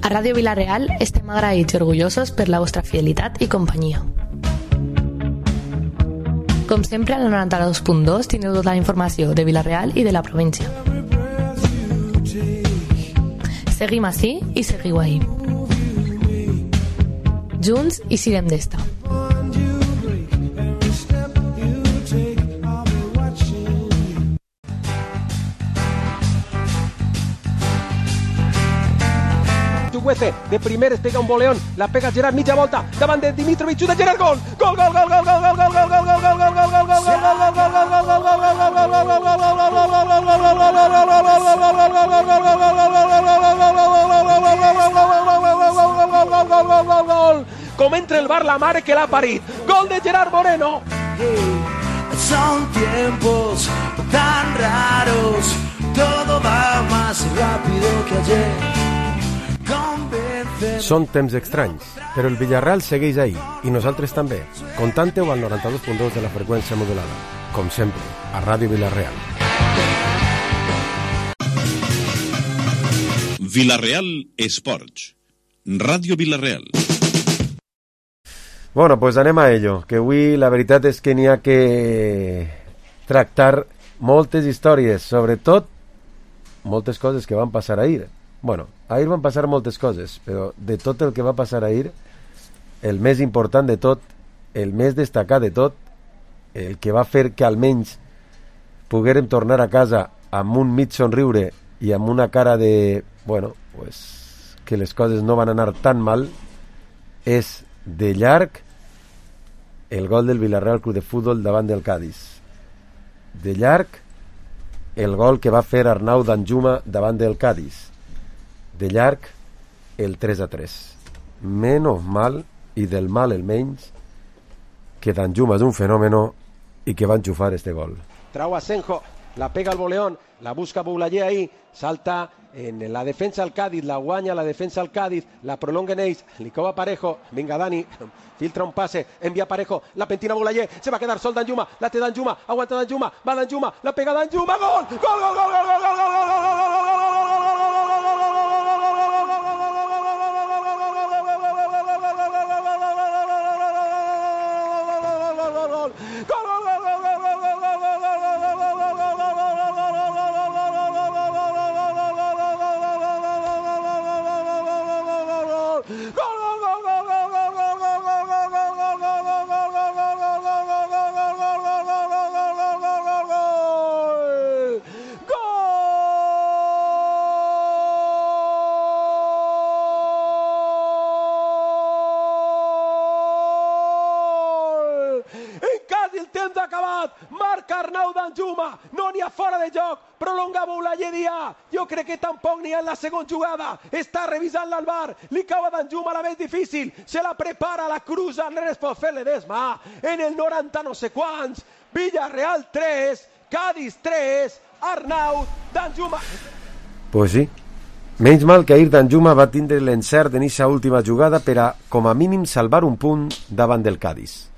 A Ràdio Vila-real estem agraïts i orgullosos per la vostra fidelitat i companyia. Com sempre, al 92.2 teniu tota la informació de Vila-real i de la província. Seguim ací i seguiu ahí. Junts i siguem d'esta. De primeres pega un boleón, la pega Gerard mitja volta, davant de Dimitrovic, de Gerard, gol! Gol, gol, gol, gol, gol, gol, gol, gol, gol, gol, gol, gol, gol, gol, gol, com entra el bar la mare que l'ha parit. Gol de Gerard Moreno. Son tiempos tan raros, todo va más rápido que ayer. Són temps estranys, però el Villarreal segueix ahí, i nosaltres també. Contante-ho al 92.2 de la freqüència modulada. Com sempre, a Ràdio Vila-real. Vila-real Esports. Ràdio Vila-real. Bueno, pues anem a ello, que avui la veritat és que n'hi ha que tractar moltes històries, sobretot moltes coses que van passar ahir. Bueno, ahir van passar moltes coses, però de tot el que va passar ahir, el més important de tot, el més destacat de tot, el que va fer que almenys poguérem tornar a casa amb un mig somriure i amb una cara de, bueno, pues, que les coses no van anar tan mal, és de llarg el gol del Villarreal Club de Futbol davant del Cádiz. De llarg el gol que va fer Arnau Danjuma davant del Cádiz. De llarg el 3-3. Menos mal, i del mal el menys, que Danjuma és un fenómeno i que va enxufar este gol. Trau Asenjo, la pega al voleón, la busca Boulaye ahí, salta en la defensa al Cádiz, la guanya la defensa al Cádiz, la prolonga en Eis, li cova Parejo, vinga Dani, filtra un passe, envia Parejo, la pentina Boulaye, se va a quedar sol Danjuma, la té Danjuma, aguanta Danjuma, va Danjuma, la pega Danjuma, gol, gol, gol, gol, gol, gol, gol, gol, gol, gol, gol, gol, marca Arnau Danjuma, no n'hi ha fora de joc, prolonga Boulaye Dia, jo crec que tampoc n'hi ha en la segona jugada, està revisant l'Albar, li cau a Danjuma la més difícil, se la prepara, la cruza, no es pot fer l'Edesma, en el 90 no sé quants, Villarreal 3, Cádiz 3, Arnau Danjuma. Pues sí, menys mal que ahir Danjuma va tindre l'encert en aquesta última jugada per a, com a mínim, salvar un punt davant del Cádiz.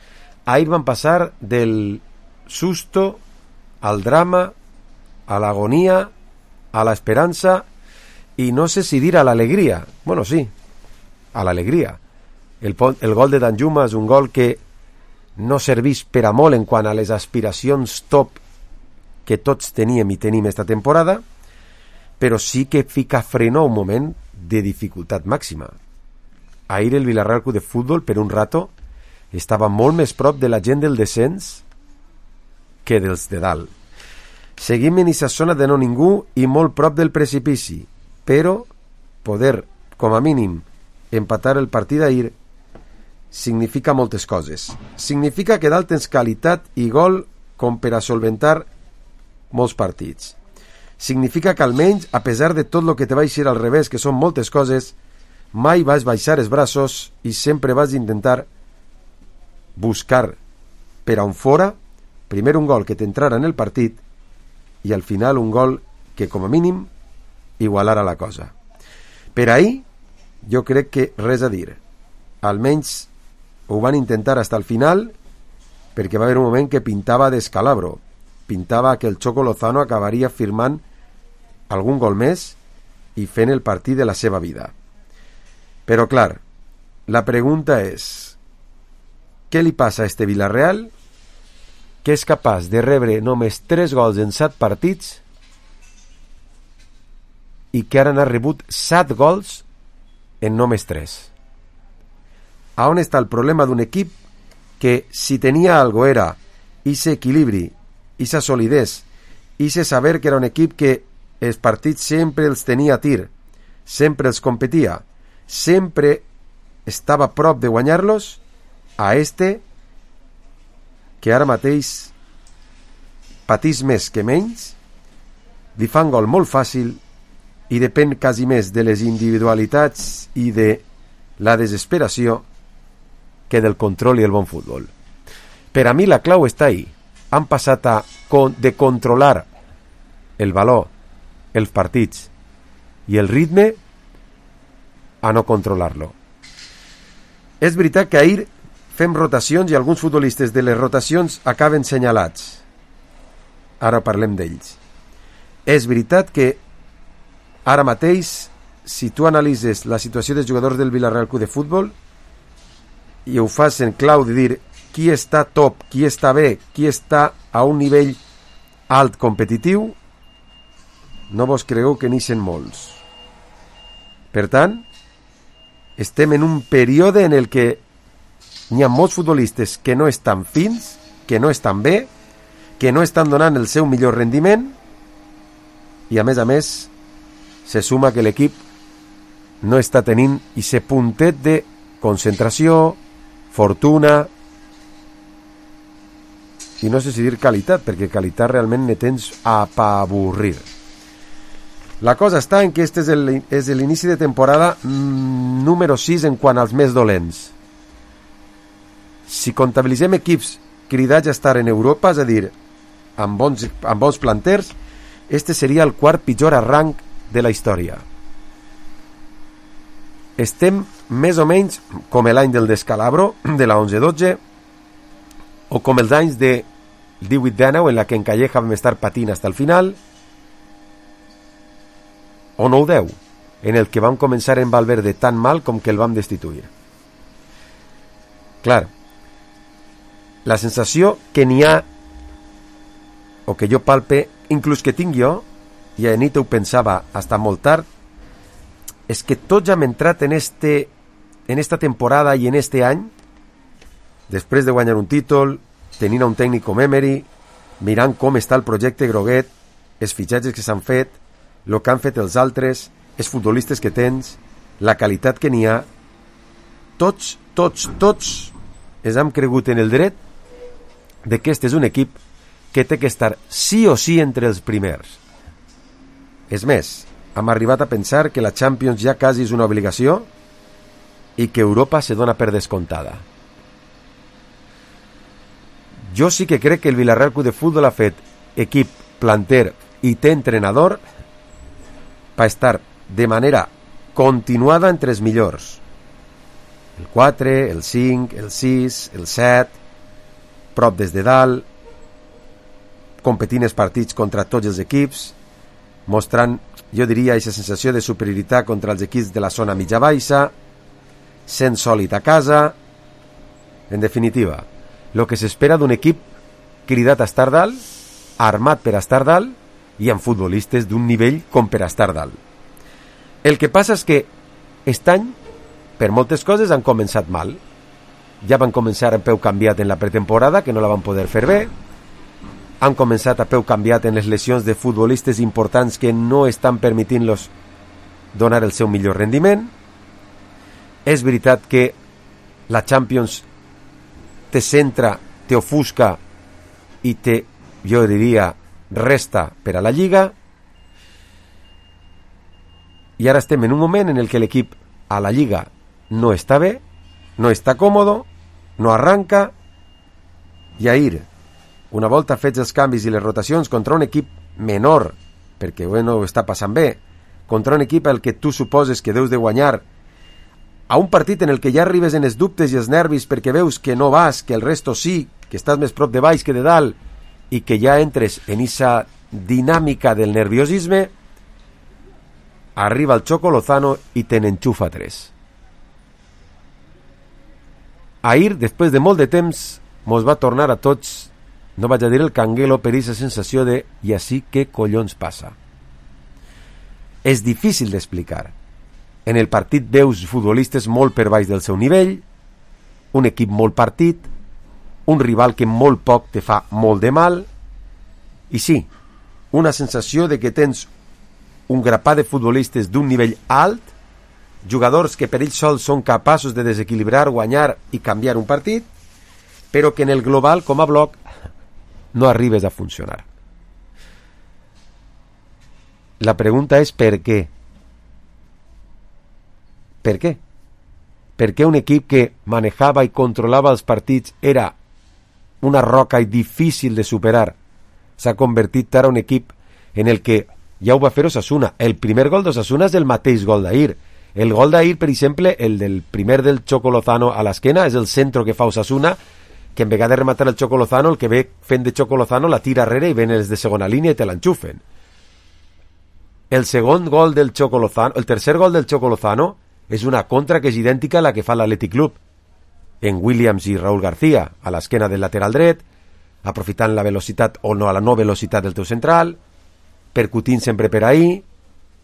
Ahir van passar del susto al drama, a l'agonia, a la esperança i no sé si dir a l'alegria. Bueno, sí, a l'alegria. El gol de Danjuma és un gol que no serveix per a molt en quant a les aspiracions top que tots teníem i tenim esta temporada, però sí que fica freno a un moment de dificultat màxima. Ahir el Villarreal Club de Futbol, per un rato, estava molt més prop de la gent del descens que dels de dalt. Seguim en aquesta zona de no ningú i molt prop del precipici, però poder, com a mínim, empatar el partit d'ahir significa moltes coses. Significa que dalt tens qualitat i gol com per a solventar molts partits. Significa que almenys, a pesar de tot el que te va eixir al revés, que són moltes coses, mai vas baixar els braços i sempre vas intentar buscar per a on fora, primer un gol que t'entrara en el partit i al final un gol que com a mínim igualara la cosa. Per ahir jo crec que res a dir, almenys ho van intentar fins al final, perquè va haver un moment que pintava d'escalabro, pintava que el Choco Lozano acabaria firmant algun gol més i fent el partit de la seva vida. Però clar, la pregunta és, què li passa a este Villarreal que és capaç de rebre només 3 gols en 7 partits i que ara n'ha rebut 7 gols en només 3? A on està el problema d'un equip que, si tenia algo, era ese equilibri, esa solidez, ese saber que era un equip que els partits sempre els tenia a tir, sempre els competia, sempre estava a prop de guanyar-los, a este que ara mateix patís més que menys, li fan gol molt fàcil i depèn quasi més de les individualitats i de la desesperació que del control i el bon futbol. Per a mi la clau està ahí. Han passat de controlar el valor, els partits i el ritme a no controlar-lo. És veritat que ahir fem rotacions i alguns futbolistes de les rotacions acaben senyalats. Ara parlem d'ells. És veritat que ara mateix, si tu analitzes la situació dels jugadors del Villarreal Club de Futbol i ho fas en clau de dir qui està top, qui està bé, qui està a un nivell alt competitiu, no vos cregueu que n'hi molts. Per tant, estem en un període en el que n'hi ha molts futbolistes que no estan fins, que no estan bé, que no estan donant el seu millor rendiment i a més se suma que l'equip no està tenint aquest puntet de concentració, fortuna i no sé si dir qualitat, perquè qualitat realment ne tens a avorrir. La cosa està en que este és l'inici de temporada número 6 en quant als més dolents. Si comptabilitzem equips cridats a estar en Europa, és a dir, amb bons planters, este seria el quart pitjor arranc de la història. Estem més o menys com l'any del descalabro, de la 11-12, o com els anys de 18-19, en la que en Calleja vam estar patint fins al final, o 9-10, en el que vam començar en Valverde tan mal com que el vam destituir. Clar, la sensació que n'hi ha, o que jo palpe, inclús que tinc jo, i a nit ho pensava hasta molt tard, és que tots ja hem entrat en esta temporada i en este any, després de guanyar un títol, tenint un tècnic com Emery, mirant com està el projecte groguet, els fitxatges que s'han fet, el que han fet els altres, els futbolistes que tens, la qualitat que n'hi ha, tots ens hem cregut en el dret de que este és un equip que té que estar sí o sí entre els primers. És més, hem arribat a pensar que la Champions ja quasi és una obligació i que Europa se dona per descontada. Jo sí que crec que el Villarreal Club de Futbol ha fet equip, planter i té entrenador per estar de manera continuada entre els millors. El 4, el 5, el 6, el 7, prop des de dalt, competint els partits contra tots els equips, mostrant, jo diria, aquesta sensació de superioritat contra els equips de la zona mitja-baixa, sent sòlid a casa. En definitiva, el que s'espera d'un equip cridat a estar dalt, armat per a estar dalt i amb futbolistes d'un nivell com per a estar dalt. El que passa és que aquest any, per moltes coses, han començat mal. Ja van començar a peu canviat en la pretemporada, que no la van poder fer bé. Han començat a peu canviat en les lesions de futbolistes importants que no estan permitint-los donar el seu millor rendiment. És veritat que la Champions te centra, te ofusca i te, jo diria, resta per a la Lliga. I ara estem en un moment en el que l'equip a la Lliga no està bé, no està còmodo, no arranca, i ahir, una volta fets els canvis i les rotacions contra un equip menor, perquè bueno, està passant bé, contra un equip al que tu suposes que deus de guanyar, a un partit en el que ja arribes en els dubtes i els nervis perquè veus que no vas, que el resto sí, que estàs més prop de baix que de dalt, i que ja entres en esa dinàmica del nerviosisme, arriba el Choco Lozano i te n'enxufa 3. ahir, després de molt de temps, mos va tornar a tots, no vaig a dir el canguelo, per aquesta sensació de i així què collons passa. És difícil d'explicar. En el partit veus futbolistes molt per baix del seu nivell, un equip molt partit, un rival que molt poc te fa molt de mal, i sí, una sensació de que tens un grapat de futbolistes d'un nivell alt, jugadors que per ells sols són capaços de desequilibrar, guanyar i canviar un partit, però que en el global, com a bloc, no arribes a funcionar. La pregunta és per què? Per què? Per què un equip que manejava i controlava els partits era una roca i difícil de superar s'ha convertit ara en un equip en el que ja ho va fer Osasuna? El primer gol d'Osasuna és el mateix gol d'ahir. El gol d'ahir, per exemple, el del primer del Choco Lozano a l'esquena, és el centre que fa Osasuna, que en vegada de rematar el Choco Lozano, el que ve fent de Choco Lozano la tira arrere i ven els de segona línia i te l'enxufen. El segon gol del Choco Lozano, el tercer gol del Choco Lozano és una contra que és idèntica a la que fa l'Athletic Club en Williams i Raúl García a l'esquena del lateral dret, aprofitant la velocitat o no, la no velocitat del teu central, percutint sempre per ahí,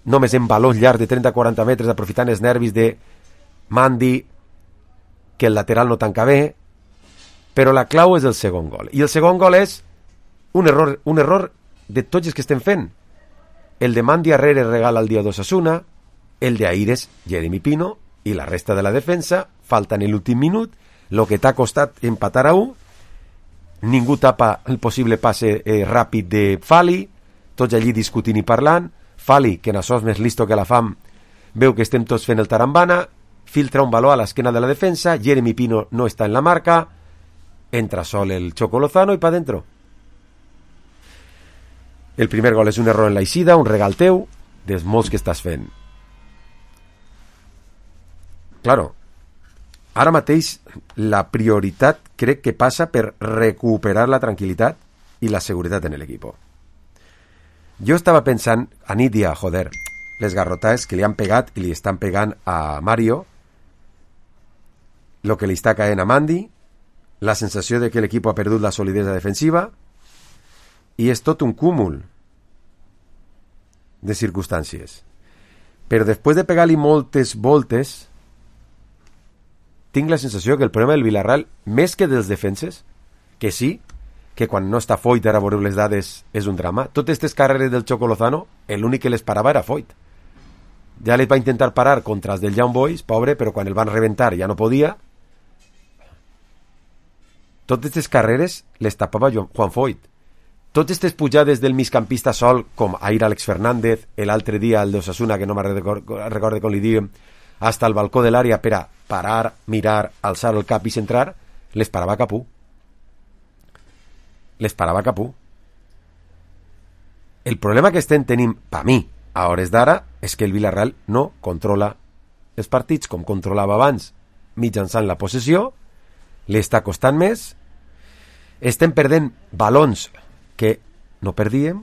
només en balons llargs de 30-40 metres, aprofitant els nervis de Mandi, que el lateral no tanca bé, però la clau és el segon gol. I el segon gol és un error de tots els que estem fent. El de Mandi Arrere regala el dia d'Osasuna, el de ahir és Jeremy Pino, i la resta de la defensa falta en l'últim minut, el que t'ha costat empatar a 1, ningú tapa el possible passe ràpid de Fali, tots allí discutint i parlant, Fali, que en això és més listo que la fam, veu que estem tots fent el tarambana, filtra un baló a l'esquena de la defensa, Jeremy Pino no està en la marca, entra sol el Choco Lozano i pa dentro. El primer gol és un error en l'eixida, un regal teu, dels molts que estàs fent. Claro, ara mateix la prioritat crec que passa per recuperar la tranquil·litat i la seguretat en l'equip. Jo estava pensant, a nit dia, joder, les garrotades que li han pegat i li estan pegant a Mario, lo que li està caent a Mandi, la sensació de que l'equip ha perdut la solidesa defensiva, i és tot un cúmul de circumstàncies. Però després de pegar-li moltes voltes, tinc la sensació que el problema del Villarreal, més que dels defenses, que sí, que quan no està Foyt, ara veureu les dades, és un drama. Totes aquestes carreres del Choco Lozano, l'únic que les parava era Foyt. Ja les va intentar parar contra els del Young Boys, pobre, però quan el van reventar ja no podia. Totes aquestes carreres les tapava Juan Foyt. Totes aquestes pujades del migcampista sol, com ahir Àlex Fernández, l'altre dia el d'Osasuna, que no me'n recordo com li diem, hasta el balcó de l'àrea per a parar, mirar, alçar el cap i centrar, les parava Capú. Les parava Capú. El problema que estem tenint, per mi, a hores d'ara, és que el Villarreal no controla els partits com controlava abans, mitjançant la possessió, li està costant més, estem perdent balons que no perdíem,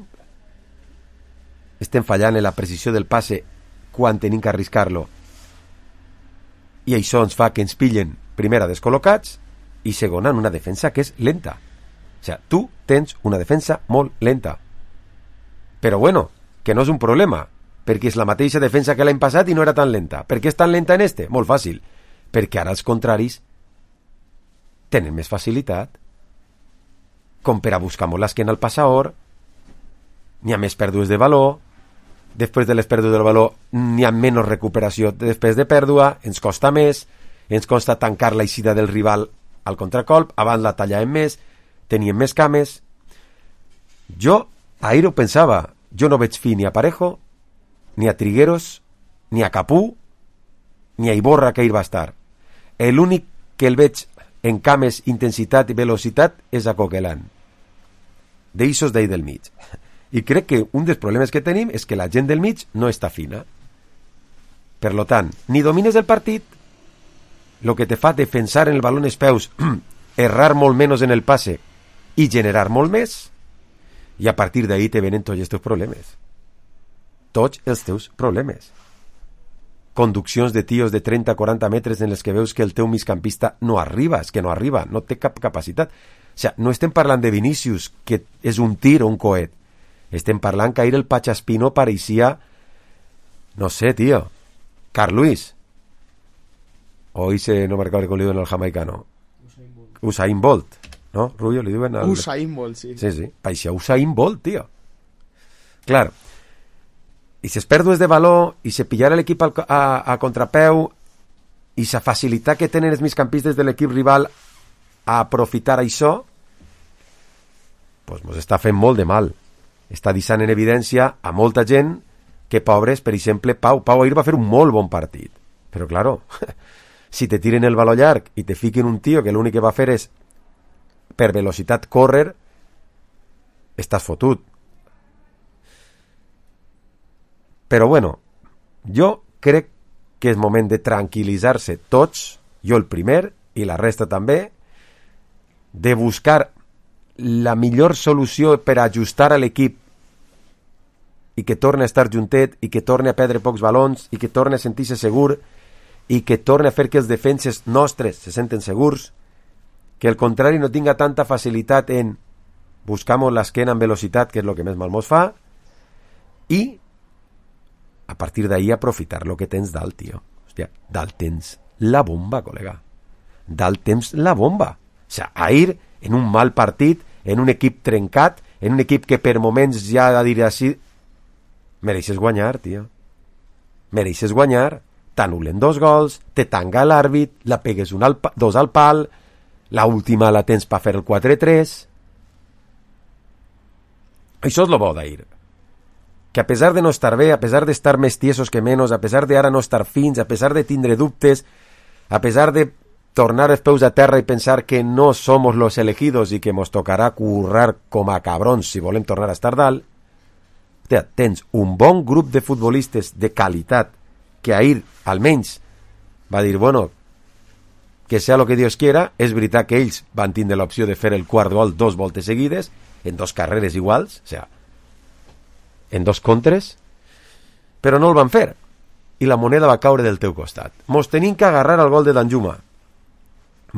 estem fallant en la precisió del passe quan tenim que arriscar-lo, i això ens fa que ens pillen primera descol·locats i segona en una defensa que és lenta. O sigui, tu tens una defensa molt lenta, però bueno, que no és un problema, perquè és la mateixa defensa que l'any passat i no era tan lenta. Per què és tan lenta en este? Molt fàcil, perquè ara els contraris tenen més facilitat, com per a buscar molt l'esquena al passador, n'hi ha més pèrdues de valor, després de les pèrdues del valor n'hi ha menys recuperació després de pèrdua, ens costa més, ens costa tancar l'eixida del rival al contracolp, abans la tallàvem més, teníem més cames. Jo ahir ho pensava, jo no veig fi ni a Parejo, ni a Trigueros, ni a Capú, ni a Iborra, que ahir va estar. L'únic que el veig en cames, intensitat i velocitat és a Coquelin. D'eixos d'ahir del mig. I crec que un dels problemes que tenim és que la gent del mig no està fina. Per lo tant, ni domines el partit, el que te fa defensar en el baló en els peus, errar molt menys en el passe i generar molt més, i a partir d'ahí te venen tots els teus problemes. Tots els teus problemes. conduccions de tios de 30-40 metres en les que veus que el teu migcampista no arriba, és que no arriba, no té cap capacitat. O sigui, no estem parlant de Vinícius, que és un tir o un coet. Estem parlant que ahir el Pachaspino pareixia, no sé, tío, Carl Lewis. O ese, no me recuerdo cómo le diuen al jamaicano. Usain Bolt, ¿no? Rubio, le diuen al... Usain Bolt, sí. Sí, sí, pareixia Usain Bolt, tío. Clar, i ses pèrdues de valor, i se pillar l'equip a contrapeu, i sa facilitat que tenen els migcampistes de l'equip rival a aprofitar això, pues mos està fent molt de mal. Està deixant en evidència a molta gent que, pobres, per exemple, Pau ahir va fer un molt bon partit. Però, claro, si te tiren el valor llarg i te fiquen un tio que l'únic que va fer és, per velocitat, córrer, estàs fotut. Però, bueno, jo crec que és moment de tranquil·litzar-se tots, jo el primer, i la resta també, de buscar la millor solució per ajustar a l'equip i que torni a estar juntet i que torni a perdre pocs balons i que torni a sentir-se segur i que torni a fer que els defenses nostres se senten segurs, que el contrari no tinga tanta facilitat en buscamos l'esquena en velocitat, que és el que més mal mos fa, i a partir d'ahí aprofitar lo que tens dalt, tio. Hòstia, dalt tens la bomba, col·lega. Dalt tens la bomba. O sigui, ahir, en un mal partit, en un equip trencat, en un equip que per moments ja ha de dir així, mereixes guanyar, tio. Mereixes guanyar. T'anulen 2 gols, te tanga l'àrbit, la pegues 2 al pal, la última la tens per fer el 4-3. Això és lo bo d'ahir. Que a pesar de no estar bé, a pesar de estar més tiesos que menos, a pesar de ara no estar fins, a pesar de tindre dubtes, a pesar de tornar els peus a terra i pensar que no somos los elegidos i que mos tocarà currar com a cabrons si volem tornar a estar dalt, tens un bon grup de futbolistes de qualitat que ahir, almenys, va dir, bueno, que sea lo que Dios quiera. És veritat que ells van tindre l'opció de fer el quart gol 2 voltes seguides, en 2 carreres iguals, o sigui, en 2 contres, però no el van fer, i la moneda va caure del teu costat. Mos tenim que agarrar al gol de Danjuma.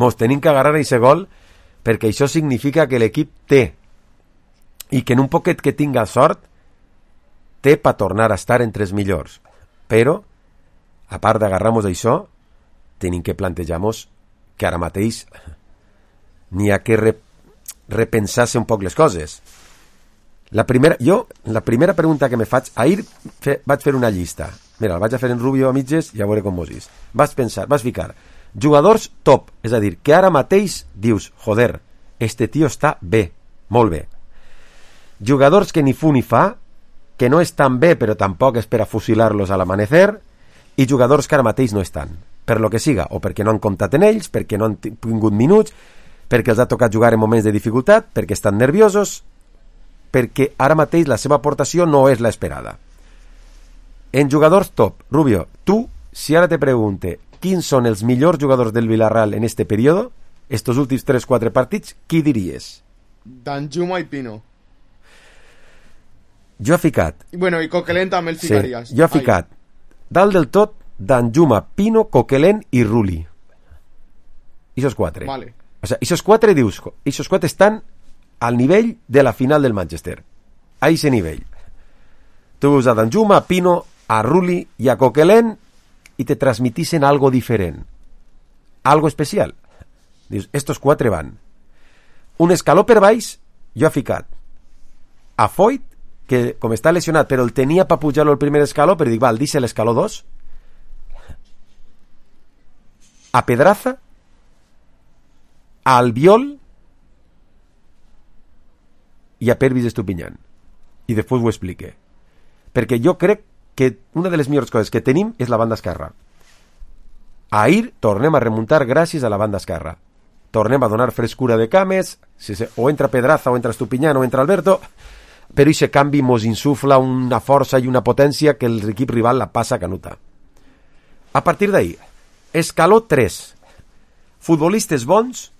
Mos tenim que agarrar a aquest gol, perquè això significa que l'equip té, i que en un poquet que tinga sort, té per tornar a estar entre els millors. Però, a part d'agarrar-nos això, tenim que plantejar-nos que ara mateix n'hi ha que repensar-se un poc les coses. La primera pregunta que me faig, ahir vaig fer una llista. Mira, la vaig a fer en Rubio a mitges i a veure com mos és. Vas ficar jugadors top, és a dir, que ara mateix dius, joder, este tio està bé, molt bé. Jugadors que ni fu ni fa, que no estan bé però tampoc és per a fusilar-los a l'amanecer, i jugadors que ara mateix no estan, per lo que siga, o perquè no han comptat en ells, perquè no han tingut minuts, perquè els ha tocat jugar en moments de dificultat, perquè estan nerviosos, perquè ara mateix la seva aportació no és l'esperada. En jugadors top, Rubio, tu, si ara te pregunte quins són els millors jugadors del Villarreal en este període, estos últims 3-4 partits, qui diries? Danjuma i Pino. Jo he ficat... Bueno, i Coquelin també el ficaries. Sí, jo he ficat dalt del tot Danjuma, Pino, Coquelin i Rulli. Ixos 4. Vale. O sea, ixos 4 dius, ixos 4 estan al nivell de la final del Manchester. A ese nivell. Tu veus a Danjuma, a Pino, a Rulli i a Coquelin i te transmitissen algo diferent. Algo especial. Dius, estos 4 van. Un escaló per baix, jo he ficat a Foyt, que com està lesionat, però el tenia per pujar-lo al primer escaló, però dic, val, deixa l'escaló 2. A Pedraza, a Albiol i a Pervis Estupiñán. I després ho explique. Perquè jo crec que una de les millors coses que tenim és la banda esquerra. Ahir tornem a remuntar gràcies a la banda esquerra. Tornem a donar frescura de cames, o entra Pedraza, o entra Estupiñán, o entra Alberto, però aquest canvi mos insufla una força i una potència que l'equip rival la passa canuta. A partir d'ahir, escaló 3. Futbolistes bons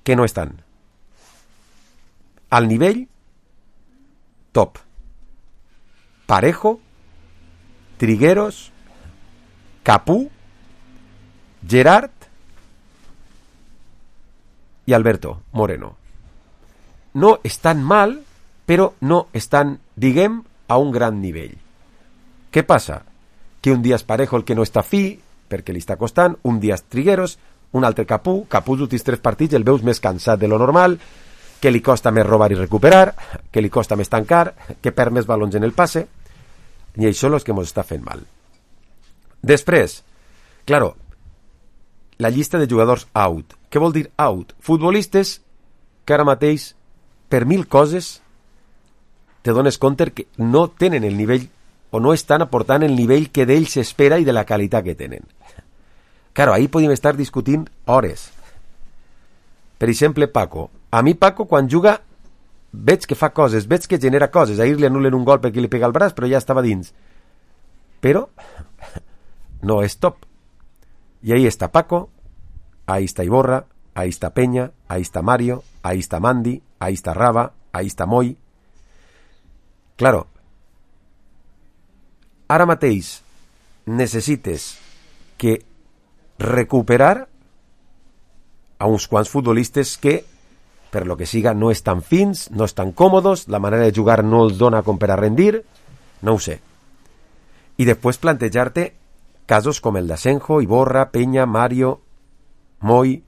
que no estan. Al nivell top. Parejo, Trigueros, Capú, Gerard i Alberto Moreno. No estan mal, però no estan, diguem, a un gran nivell. Què passa? Que un dia és Parejo el que no està fi, perquè li està costant, un dia és Trigueros, un altre Capú els últims 3 partits el veus més cansat de lo normal, que li costa més robar i recuperar, que li costa més tancar, que perd més balons en el passe, i això és el que ens està fent mal. Després, claro, la llista de jugadors out. Què vol dir out? Futbolistes que ara mateix, per 1000 coses, te dones compte que no tenen el nivell o no estan aportant el nivell que d'ells s'espera i de la qualitat que tenen. Claro, ahí podem estar discutint hores. Per exemple, Paco. A mi Paco, quan juga, veig que fa coses, veig que genera coses. Ahir li anulen un gol perquè li pega el braç, però ja estava dins. Però no és top. Y ahí está Paco, ahí está Iborra, ahí está Peña, ahí está Mario, ahí está Mandy, ahí está Raba, ahí está Moy. Claro, ara mateix necessites que recuperar a uns quants futbolistes que, per lo que siga, no estan fins, no estan còmodos, la manera de jugar no els dona com per a rendir, no ho sé. I després plantejar-te casos com el d'Asenjo, Iborra, Peña, Mario, Moy,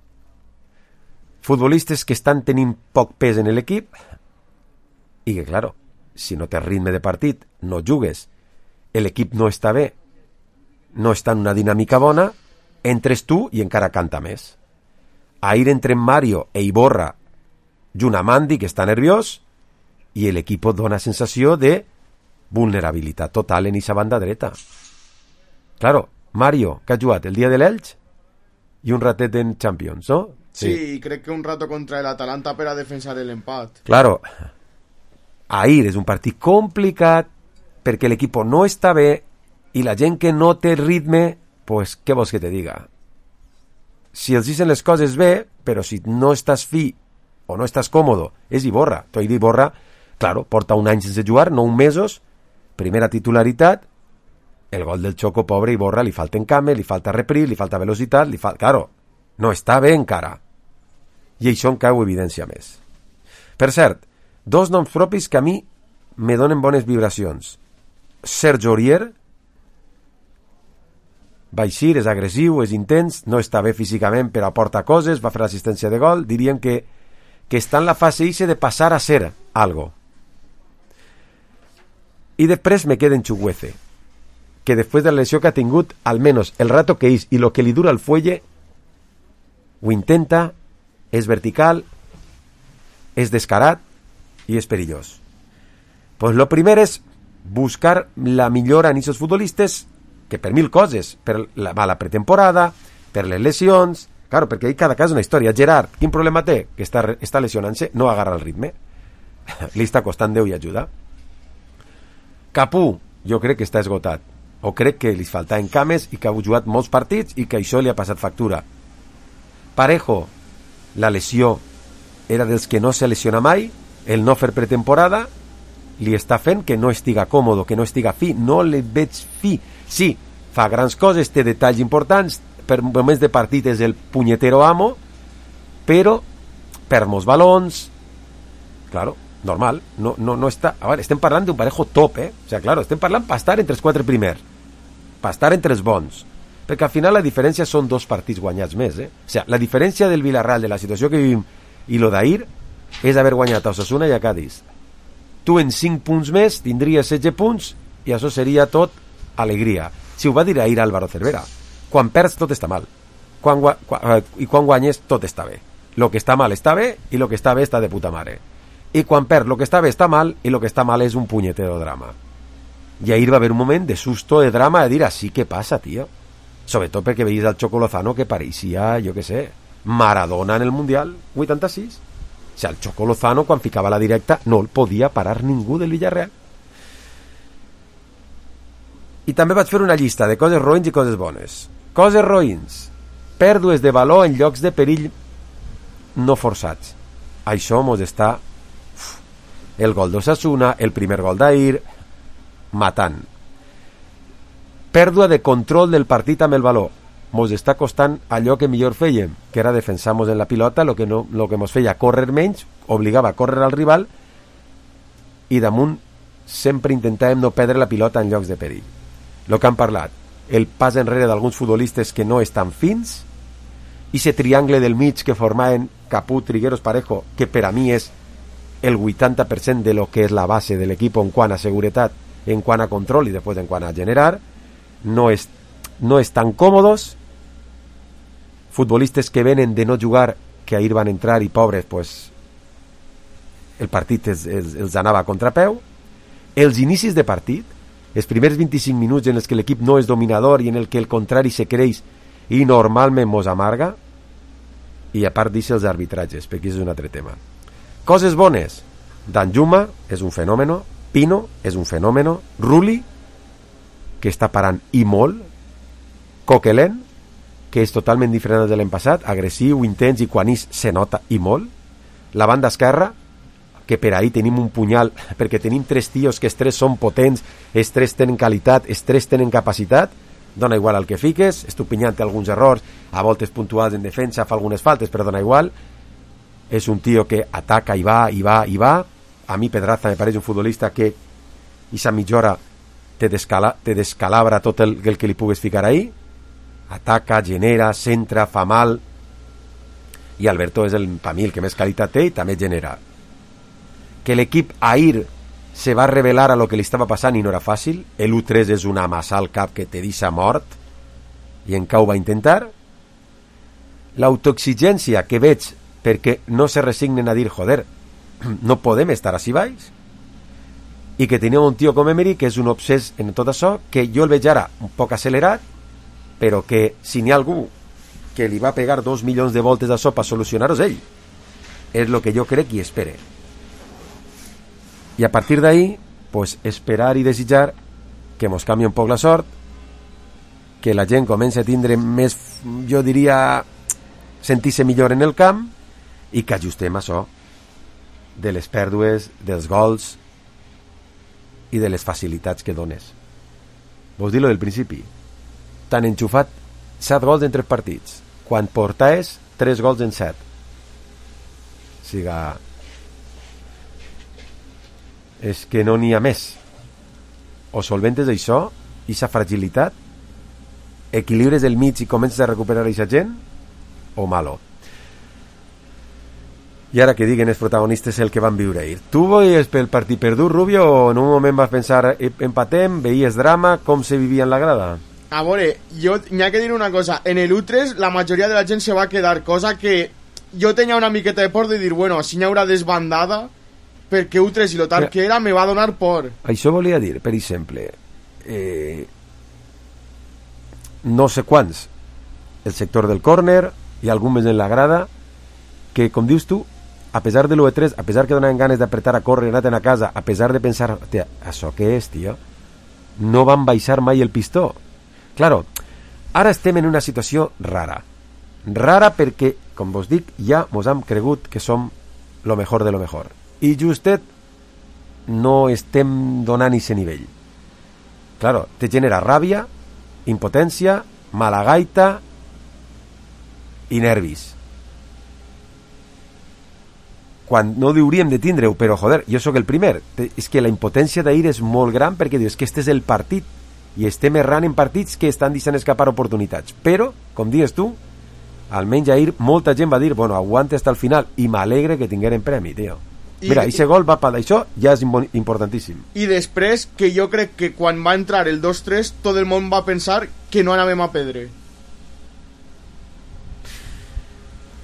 futbolistes que estan tenint poc pes en l'equip i que, claro, si no tens ritme de partit, no jugues, l'equip no està bé, no està en una dinàmica bona, entres tu i encara canta més. Ahir entren Mario e Iborra junt a Mandy, que està nerviós, i l'equip dona sensació de vulnerabilitat total en aquesta banda dreta. Claro, Mario, que ha jugat el dia de l'Elx i un ratet en Champions, no? Sí, crec que un rato contra l'Atalanta per a defensar l'empat. Claro, ahir és un partit complicat perquè l'equip no està bé i la gent que no té ritme, pues, què vols que te diga? Si els dicen les coses bé, però si no estàs fi o no estàs còmodo, és Iborra. Tu ahir Iborra, claro, porta un any sense jugar, 9 mesos, primera titularitat, el gol del Choco, pobre Iborra, li falta encame, li falta repris, li falta velocitat, claro, no està bé encara. I això encara ho evidència més. Per cert, 2 noms propis que a mi me donen bones vibracions. Serge Aurier, va eixir, és agressiu, és intens, no està bé físicament però aporta coses, va fer l'assistència de gol, diríem que està en la fase ixe de passar a ser algo. I després me queda en Chukwueze, que després de la lesió que ha tingut, almenys el rato que és i lo que li dura el fuelle, ho intenta, és vertical, és descarat i és perillós. Pues lo primer és buscar la millora en aquests futbolistes, que per 1000 coses, per la mala pretemporada, per les lesions, claro, perquè ahí cada cas és una història. Gerard, quin problema té? Que està lesionant-se, no agarra el ritme, li està costant Déu i ajuda. Capú, jo crec que està esgotat, o crec que li faltaven cames i que ha jugat molts partits i que això li ha passat factura. Parejo, la lesió era dels que no se lesiona mai, el no fer pretemporada li està fent que no estiga còmodo, que no estiga fi, no li veig fi. Sí, fa grans coses, té detalls importants, per moments de partit és el punyetero amo, però per molts balons, claro, normal, no està... A veure, estem parlant d'un Parejo top, O sigui, claro, estem parlant per estar entre els 4 primers, per estar entre els bons, perquè al final la diferència són 2 partits guanyats més, O sigui, la diferència del Villarreal, de la situació que vivim, i lo d'ahir, és haver guanyat a Osasuna i a Cádiz. Tu en 5 punts més tindries 16 punts i això seria tot alegria. Si ho va dir ahir Álvaro Cervera, quan perds tot està mal, i quan guanyes tot està bé. Lo que està mal està bé i lo que està bé està de puta mare. I quan perds lo que està bé està mal i lo que està mal és un punyetero drama. I ahir va haver un moment de susto, de drama, de dir, así que passa, tio. Sobretot perquè veies al Choco Lozano que pareixia, jo què sé, Maradona en el Mundial 86. O sigui, el Choco Lozano, quan ficava la directa, no el podia parar ningú del Villarreal. I també vaig fer una llista de coses roïns i coses bones. Coses roïns: pèrdues de valor en llocs de perill no forçats. Això mos està... El gol d'Osasuna, el primer gol d'ahir, matant. pèrdua de control del partit amb el valor. Mos està costant allò que millor fèiem, que era defensar-nos en la pilota, lo que mos feia córrer menys, obligava a córrer al rival, i damunt sempre intentàvem no perdre la pilota en llocs de perill. Lo que han parlat, el pas enrere d'alguns futbolistes que no estan fins, i ese triangle del mig que formaven Caput, Trigueros, Parejo, que per a mi és el 80% de lo que és la base de l'equip en quant a seguretat, en quant a control i després en quant a generar, no estan còmodos. Futbolistes que venen de no jugar, que ahir van entrar i pobres, pues el partit els anava a contrapeu. Els inicis de partit, els primers 25 minuts en els que l'equip no és dominador i en el que el contrari se creix i normalment mos amarga, i a part d'això els arbitratges, perquè és un altre tema. Coses bones, Danjuma és un fenòmeno, Pino és un fenòmeno, Rulli, que està parant i molt, Coquelin, que és totalment diferent de l'any passat, agressiu, intens, i quan se nota i molt. La banda esquerra, que per ahir tenim un punyal, perquè tenim 3 tios que els 3 són potents, els 3 tenen qualitat, els 3 tenen capacitat, dona igual al que fiques, Estupinyant té alguns errors, a voltes puntuals en defensa, fa algunes faltes, però dona igual. És un tio que ataca i va, i va, i va. A mi Pedraza me pareix un futbolista que esa mitja hora te descalabra tot el que li pugues ficar ahí. Ataca, genera, centra, fa mal, i Alberto és per mi el que més qualitat té i també genera. Que l'equip ahir se va revelar a lo que li estava passant i no era fàcil. L'1-3 és una massa al cap que te deixa mort, i encara ho va intentar. L'autoexigència que veig, perquè no se resignen a dir joder, no podem estar així baix, i que tenia un tio com Emery que és un obsès en tot això, que jo el veig ara un poc accelerat, però que si n'hi ha algú que li va pegar 2 milions de voltes d'això per solucionar-ho és ell. És el que jo crec i espere. I a partir d'ahí, pues, esperar i desitjar que mos canvi un poc la sort, que la gent comenci a tindre més, jo diria, sentir-se millor en el camp, i que ajustem això de les pèrdues, dels gols i de les facilitats que dones. Vos dir-lo del principi, t'han enxufat 7 gols en 3 partits, quan portaves 3 gols en 7. Siga, és que no n'hi ha més. O solventes això, aquesta fragilitat, equilibres el mig i comences a recuperar aquesta gent, o malo. I ara que diguen els protagonistes el que van viure ahir. Tu veies pel partit perdut, Rubio, o en un moment vas pensar empatem, veies drama, com se vivia en la grada? A veure, jo n'hi ha que dir una cosa. En el U3 la majoria de la gent se va quedar, cosa que jo tenia una miqueta de por de dir, bueno, així n'hi haurà desbandada, perquè U3 i lo tal que era me va donar por. Això volia dir, per exemple, no sé quants, el sector del córner i algun més en la grada, que, com dius tu, a pesar de l'U3, a pesar que donaven ganes d'apretar a córrer i anar-te'n a casa, a pesar de pensar, tia, això què és, tio? No van baixar mai el pistó. Claro, ara estem en una situació rara. Rara perquè, com vos dic, ja mos hem cregut que som lo mejor de lo mejor. I justet no estem donant ese nivell. Claro, te genera ràbia, impotència, mala gaita i nervis. Quan no hauríem de tindre-ho, però joder, jo sóc el primer. És que la impotència d'ahir és molt gran perquè dius que este és el partit i estem errant en partits que estan deixant escapar oportunitats. Però, com dius tu, almenys ahir molta gent va dir, bueno, aguanta hasta el final, i m'alegre que tingueren premi, tio. Mira, aquest gol va per això, ja és importantíssim. I després, que jo crec que quan va entrar el 2-3, tot el món va pensar que no anàvem a perdre.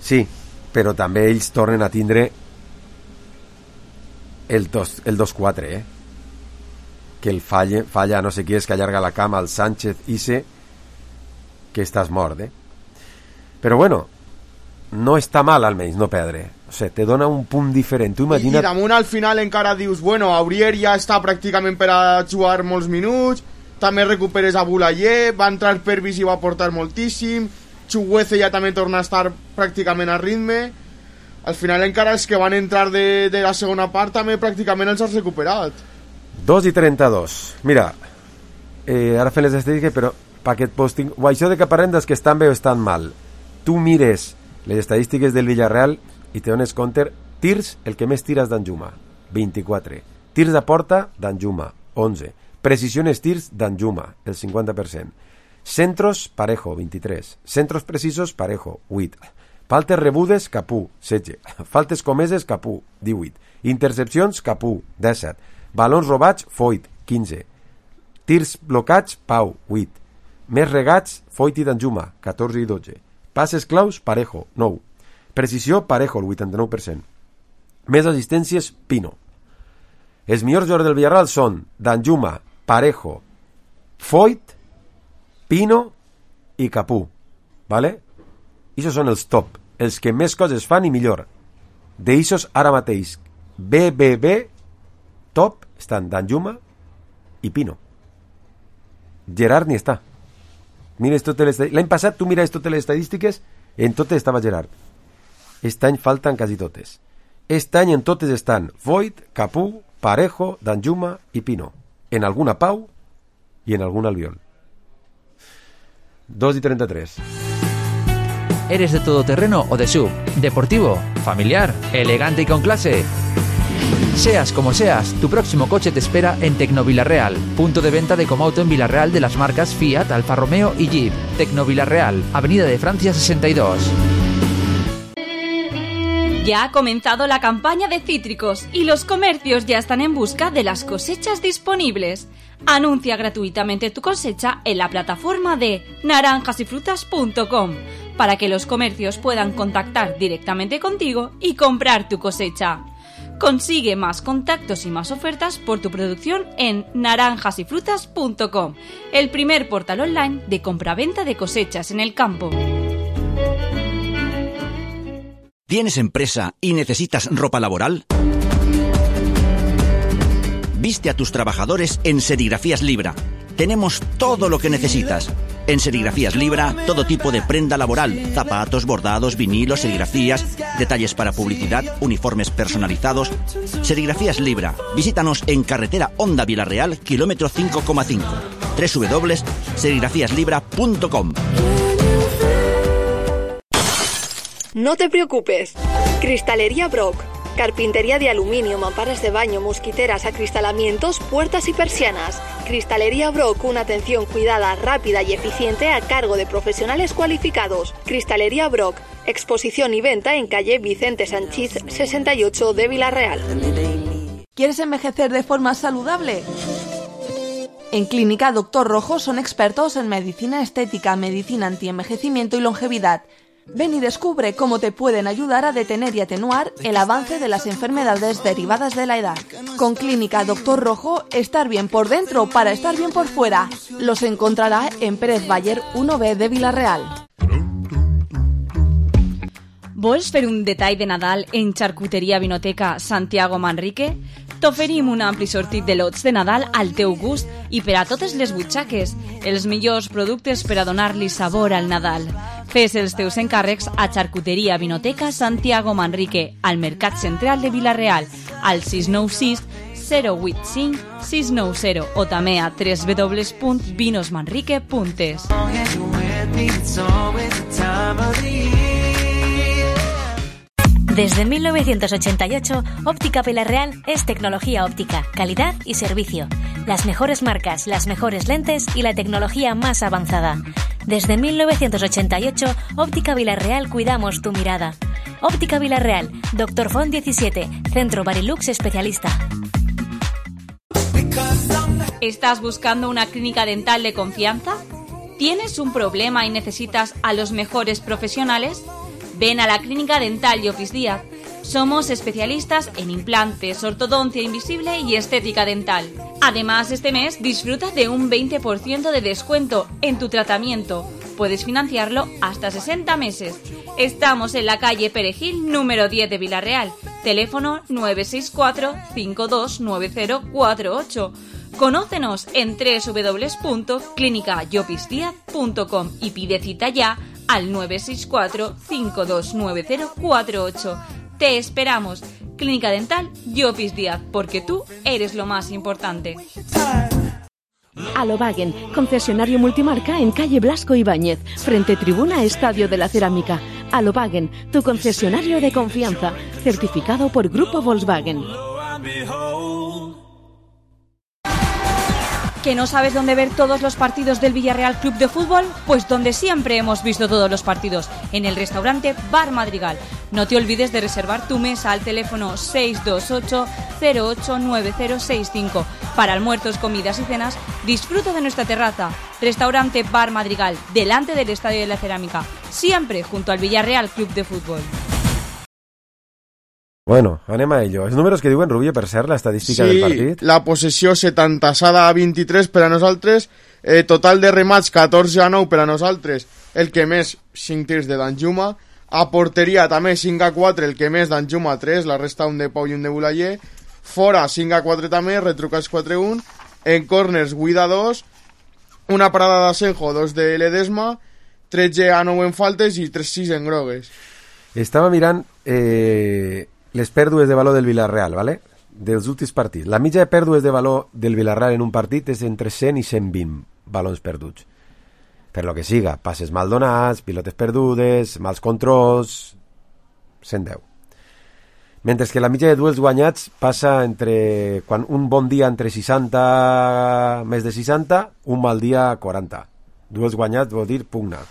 Sí, però també ells tornen a tindre el 2-4, que el falla no sé qui és que allarga la cama al Sánchez Ise, que estàs mort, però bueno, no està mal almenys no perdre, o sigui, te dona un punt diferent. Tu imagina't... I damunt al final encara dius, bueno, Aurier ja està pràcticament per a jugar molts minuts, també recuperes a Boulaye, va entrar Pervis i va aportar moltíssim, Chuguece ja també torna a estar pràcticament a ritme. Al final encara els que van entrar de la segona part també pràcticament els has recuperat. 2:32. Mira, ara fem les estadístiques, però paquet posting, o això de que parlem dels que estan bé o estan mal. Tu mires les estadístiques del Villarreal i te dones compte, tirs, el que més tira és Danjuma, 24. Tirs a porta, Danjuma, 11. Precisiones tirs, Danjuma, el 50%. Centros, Parejo, 23. Centros precisos, Parejo, 8. Faltes rebudes, Capú, 16. Faltes comeses, Capú, 18. Intercepcions, Capú, 17. Balons robats, Foyt, 15. Tirs blocats, Pau, 8. Més regats, Foyt i Danjuma, 14 i 12. Passes claus, Parejo, 9. Precisió, Parejo, el 89%. Més assistències, Pino. Els millors jugadors del Villarreal són Danjuma, Parejo, Foyt, Pino i Capú, ¿vale? Ixos són els top, els que més coses fan i millor. D'ixos ara mateix, BBB, top, estan Danjuma i Pino. Gerard ni està. Mires totes les... L'any passat tu mires totes les estadístiques, en totes estava Gerard. Aquest any falten quasi totes. Aquest any en totes estan Foyt, Capú, Parejo, Danjuma i Pino. En alguna Pau i en algun Albiol. 2:33. ¿Eres de todoterreno o de SUV? ¿Deportivo? ¿Familiar? ¿Elegante y con clase? Seas como seas, tu próximo coche te espera en Tecnovilarreal, punto de venta de Comauto en Villarreal de las marcas Fiat, Alfa Romeo y Jeep. Tecnovilarreal, Avenida de Francia 62. Ya ha comenzado la campaña de cítricos y los comercios ya están en busca de las cosechas disponibles. Anuncia gratuitamente tu cosecha en la plataforma de naranjasyfrutas.com para que los comercios puedan contactar directamente contigo y comprar tu cosecha. Consigue más contactos y más ofertas por tu producción en naranjasyfrutas.com, el primer portal online de compraventa de cosechas en el campo. ¿Tienes empresa y necesitas ropa laboral? Viste a tus trabajadores en Serigrafías Libra. Tenemos todo lo que necesitas. En Serigrafías Libra, todo tipo de prenda laboral, zapatos, bordados, vinilos, serigrafías, detalles para publicidad, uniformes personalizados. Serigrafías Libra. Visítanos en carretera Honda Villarreal, kilómetro 5,5. www.serigrafíaslibra.com. No te preocupes. Cristalería Brock. Carpintería de aluminio, mamparas de baño, mosquiteras, acristalamientos, puertas y persianas. Cristalería Brock, una atención cuidada, rápida y eficiente a cargo de profesionales cualificados. Cristalería Brock, exposición y venta en calle Vicente Sanchís 68 de Villarreal. ¿Quieres envejecer de forma saludable? En Clínica Doctor Rojo son expertos en medicina estética, medicina antienvejecimiento y longevidad. Ven y descubre cómo te pueden ayudar a detener y atenuar el avance de las enfermedades derivadas de la edad. Con Clínica Doctor Rojo, estar bien por dentro para estar bien por fuera. Los encontrará en Pérez Bayer 1B de Villarreal. Vols fer un detall de Nadal en Charcuteria Vinoteca Santiago Manrique? T'oferim un ampli sortit de lots de Nadal al teu gust i per a totes les butxaques, els millors productes per a donar-li sabor al Nadal. Fes els teus encàrrecs a Charcuteria Vinoteca Santiago Manrique, al Mercat Central de Villarreal, al 696 085 690 o també a www.vinosmanrique.es. Desde 1988, Óptica Villarreal es tecnología óptica, calidad y servicio. Las mejores marcas, las mejores lentes y la tecnología más avanzada. Desde 1988, Óptica Villarreal cuidamos tu mirada. Óptica Villarreal, Dr. Font 17, Centro Barilux Especialista. ¿Estás buscando una clínica dental de confianza? ¿Tienes un problema y necesitas a los mejores profesionales? Ven a la Clínica Dental Llopis Díaz. Somos especialistas en implantes, ortodoncia invisible y estética dental. Además, este mes disfruta de un 20% de descuento en tu tratamiento. Puedes financiarlo hasta 60 meses. Estamos en la calle Perejil, número 10 de Villarreal. Teléfono 964-529048. Conócenos en www.clinicallopisdiaz.com y pide cita ya al 964-529048. Te esperamos. Clínica Dental Llopis Díaz, porque tú eres lo más importante. Alobagen, concesionario multimarca en calle Blasco Ibáñez, frente tribuna Estadio de la Cerámica. Alobagen, tu concesionario de confianza, certificado por Grupo Volkswagen. ¿Que no sabes dónde ver todos los partidos del Villarreal Club de Fútbol? Pues donde siempre hemos visto todos los partidos, en el restaurante Bar Madrigal. No te olvides de reservar tu mesa al teléfono 628-089065. Para almuerzos, comidas y cenas, disfruta de nuestra terraza. Restaurante Bar Madrigal, delante del Estadio de la Cerámica, siempre junto al Villarreal Club de Fútbol. Bueno, anem a ello. Els números que diuen, Rubio, per cert, l'estadística del partit. La possessió 70-23 per a nosaltres, total de remats 14-9 per a nosaltres, el que més 5 tirs de Danjuma, a porteria també 5-4, el que més Danjuma 3, la resta un de Pau i un de Bulaller, fora 5-4 també, retrucats 4-1, en corners 8-2, una parada d'Asenjo, 2 de Ledesma, 13-9 en faltes i 3-6 en grogues. Estava mirant les pèrdues de valor del Villarreal, ¿vale? Dels últims partits. La mitja de pèrdues de valor del Villarreal en un partit és entre 100 i 120 balons perduts. Per lo que siga, passes mal donats, pilotes perdudes, mals controls, 110. Mentre que la mitja de duels guanyats passa entre, quan un bon dia entre 60, més de 60, un mal dia 40. Duels guanyats vol dir pugna.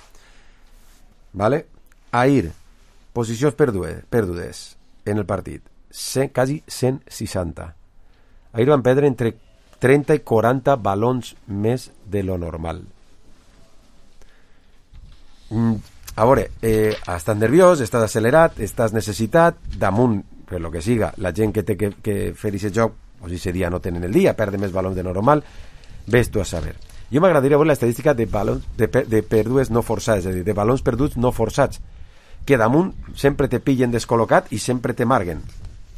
¿Vale? Ahir, posicions perdudes en el partit, quasi 160. Ahir van perdre entre 30 i 40 balons més de lo normal. A veure, estàs nerviós, estàs accelerat, estàs necessitat, damunt, per lo que siga, la gent que té que fer aquest joc, o si ese dia no tenen el dia, perde més balons de normal, ves tu a saber. Jo m'agradaria veure l'estadística de balons de pèrdues no forçades, és a dir, de balons perduts no forçats, que damunt sempre te pillen descol·locat i sempre te marguen,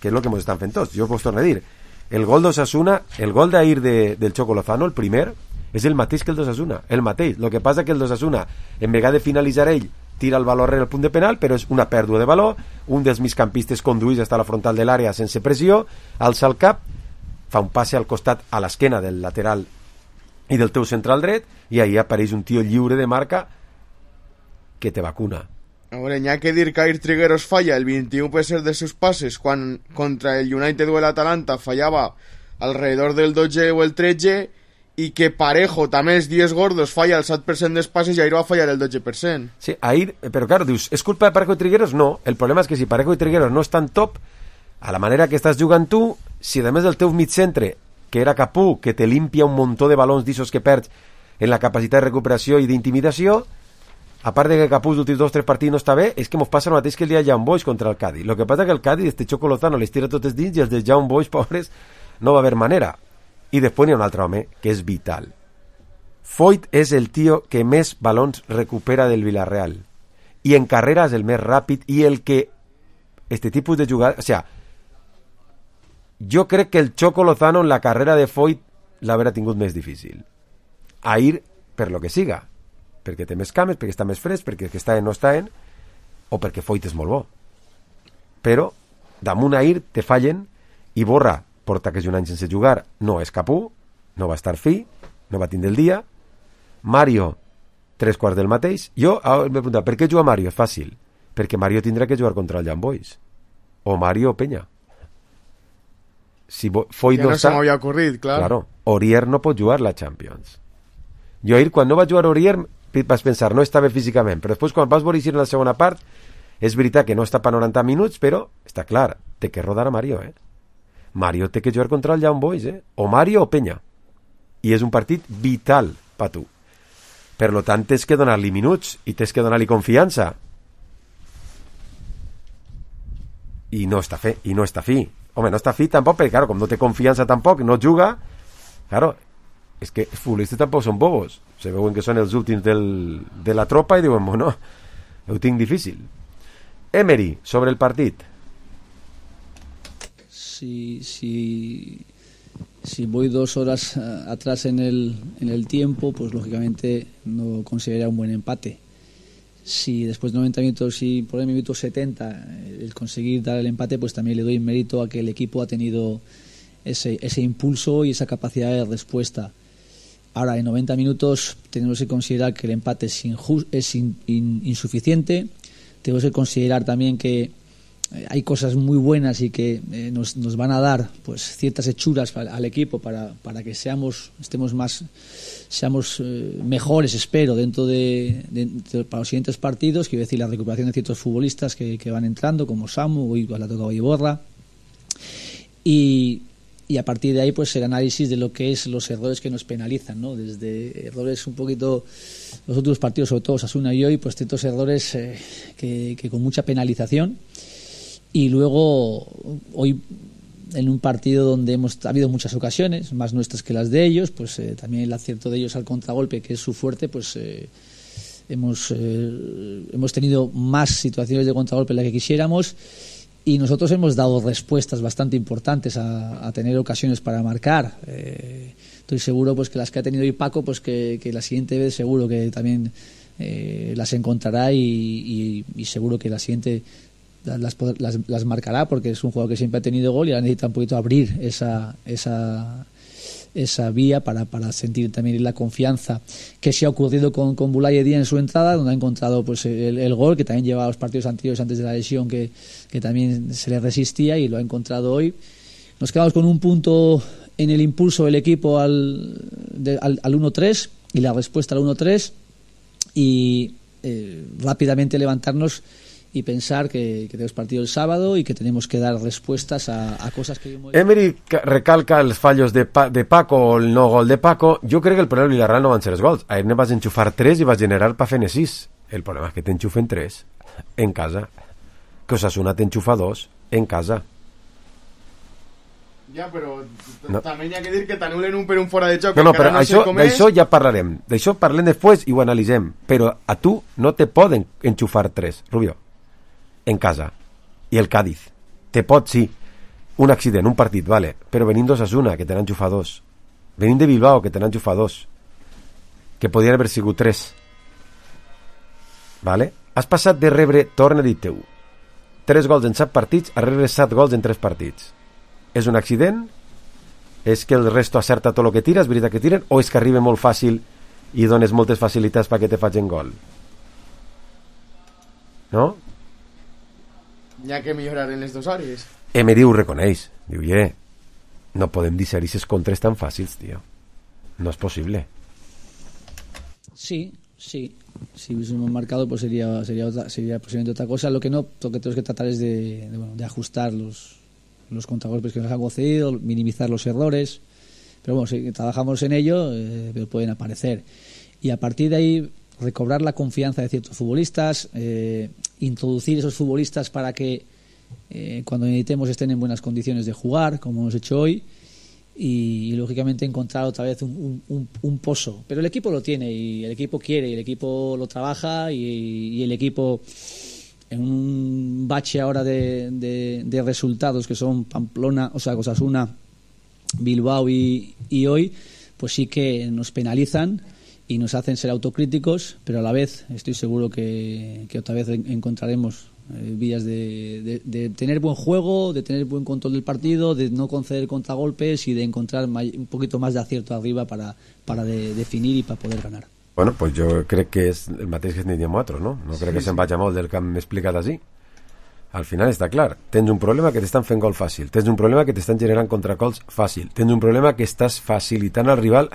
que és el que ens estan fent tots. Jo us torno a dir, el gol d'Osasuna, el gol d'ahir del Choco Lozano, el primer, és el mateix que el d'Osasuna, el mateix. El que passa que el d'Osasuna, en vegada de finalitzar ell, tira el valor en el punt de penal, però és una pèrdua de valor, un dels migcampistes conduïs fins a la frontal de l'àrea sense pressió, alça el cap, fa un passe al costat a l'esquena del lateral i del teu central dret, i ahí apareix un tio lliure de marca que te vacuna. A veure, n'hi ha que dir que Air Trigueros falla el 21% de sus pases quan contra el United o el Atalanta fallava alrededor del 12 o el 13 i que Parejo també els dies gordos falla el 7% dels passes i Air va fallar el 12%. Sí, Air, però claro, dius, ¿és culpa de Parejo i Trigueros? No, el problema és que si Parejo i Trigueros no estan top, a la manera que estàs jugant tu, si a més del teu migcentre, que era Capú, que te limpia un muntó de balons d'issos que perds en la capacitat de recuperació i d'intimidació, a part de que Capús els últims 2-3 partits no està bé, és que ens passa el mateix que el dia de Young Boys contra el Cádiz. Lo que passa que el Cádiz, este Choco Lozano, les tira totes dins i els de Young Boys, pobres, no va haver manera. I després n'hi ha un altre home que és vital. Foyt és el tio que més balons recupera del Villarreal i en carrera és el més ràpid i el que este tipus de jugada, o sea, jo crec que el Choco Lozano en la carrera de Foyt l'haurà tingut més difícil. Ahir, per lo que siga, perquè té més cames, perquè està més fresc, perquè que està en no està en, o perquè Foyt és molt bo. Però damunt Ahir te fallen i Borra porta que és un any sense jugar, no és Capú, no va estar fi, no va tindre el dia. Mario, 3/4 del mateix. Jo m'he preguntat, per què juga Mario? És fàcil, perquè Mario tindrà que jugar contra el Young Boys o Mario o Peña. Si Foyt no està, se m'havia ocorrit, clar. Claro, Aurier no pot jugar la Champions. Jo ahir, quan no va jugar Aurier, vas pensar, no està bé físicament, però després quan vas veure en la segona part, és veritat que no està per 90 minuts, però està clar, té que rodar a Mario, Mario té que jugar contra el Young Boys, o Mario o Peña, i és un partit vital per tu. Per lo tant, tens que donar-li minuts i tens que donar-li confiança, i no està fi. Home, no està fi tampoc, perquè claro, com no té confiança tampoc, no juga, claro, és que els futbolistes tampoc són bobos, se veuen que són els últims de la tropa i diuen, bueno, ho tinc difícil. Emery, sobre el partit. Si voy 2 horas atrás en el tiempo, pues lógicamente no consideraría un buen empate. Si después de 90 minutos y por el minuto 70 el conseguir dar el empate, pues también le doy mérito a que el equipo ha tenido ese impulso y esa capacidad de respuesta. Ahora, en 90 minutos tenemos que considerar que el empate es insuficiente. Tenemos que considerar también que hay cosas muy buenas y que nos van a dar pues ciertas hechuras al equipo para que seamos mejores, espero, dentro para los siguientes partidos. Quiero decir, la recuperación de ciertos futbolistas que van entrando, como Samu, hoy la ha tocado Iborra, y a partir de ahí pues el análisis de lo que es los errores que nos penalizan, ¿no? Desde errores un poquito, los últimos partidos, sobre todo Osasuna y hoy, pues ciertos errores que con mucha penalización. Y luego, hoy, en un partido donde ha habido muchas ocasiones, más nuestras que las de ellos, pues también el acierto de ellos al contragolpe, que es su fuerte, pues hemos tenido más situaciones de contragolpe de las que quisiéramos, y nosotros hemos dado respuestas bastante importantes a tener ocasiones para marcar. Estoy seguro pues que las que ha tenido hoy Paco, pues que la siguiente vez seguro que también las encontrará, y seguro que la siguiente las marcará, porque es un jugador que siempre ha tenido gol y ahora necesita un poquito abrir esa vía para sentir también la confianza que se ha ocurrido con Boulaye Dia en su entrada, donde ha encontrado pues el gol, que también llevaba los partidos anteriores antes de la lesión que también se le resistía, y lo ha encontrado hoy. Nos quedamos con un punto en el impulso del equipo al 1-3 y la respuesta al 1-3, y rápidamente levantarnos y pensar que tenemos partido el sábado y que tenemos que dar respuestas a cosas que... Emery recalca els fallos de Paco o el no gol de Paco. Jo crec que el problema del Villarreal no van ser els gols. Ahir ne vas enxufar 3 i vas generar pa fer-ne 6. El problema és que t'enxufen 3 en casa, que Osasuna t'enxufa 2 en casa. Ja, però també hi ha que dir que t'anulen un per un fora de joc. No, però d'això ja parlarem. D'això parlem després i ho analitzem. Però a tu no te poden enxufar 3, Rubio, en casa. I el Cádiz te pot, sí, un accident, un partit, vale, però venint d'Osasuna, que te n'han enxufat 2, venint de Bilbao, que te n'han enxufat 2, que podien haver sigut 3, vale? Has passat de rebre, torna a dir-te-ho, 3 gols en 7 partits a rebre 7 gols en 3 partits. És un accident? És que el resto acerta tot el que tira, és veritat que tiren, o és que arriba molt fàcil i dones moltes facilitats perquè te facin gol? No? Hi ha que millorar en les dues àrees. Emery ho reconeix, diu, no podem disserir aquests contres tan fàcils, tio, no es possible. Sí, si hubiésemos marcado pues sería posiblemente otra cosa. Lo que tenemos que tratar es de ajustar los contragolpes que nos han concedido, minimizar los errores, pero bueno, si trabajamos en ello, pero pueden aparecer, y a partir de ahí recobrar la confianza de ciertos futbolistas, introducir esos futbolistas para que cuando necesitemos estén en buenas condiciones de jugar, como hemos hecho hoy, y lógicamente encontrar otra vez un pozo. Pero el equipo lo tiene, y el equipo quiere, y el equipo lo trabaja, y el equipo, en un bache ahora de resultados que son Pamplona, o sea, Osasuna, Bilbao y hoy, pues sí que nos penalizan y nos hacen ser autocríticos, pero a la vez estoy seguro que otra vez encontraremos vías de tener buen juego, de tener buen control del partido, de no conceder contragolpes y de encontrar un poquito más de acierto arriba para definir y para poder ganar. Bueno, pues jo crec que és el mateix que diem nosaltres, no? No crec que se'n vagi molt del que hem explicat així. Al final està clar, tens un problema que t'estan fent gol fàcil, tens un problema que t'estan generant contracols fàcil, tens un problema que estàs facilitant al rival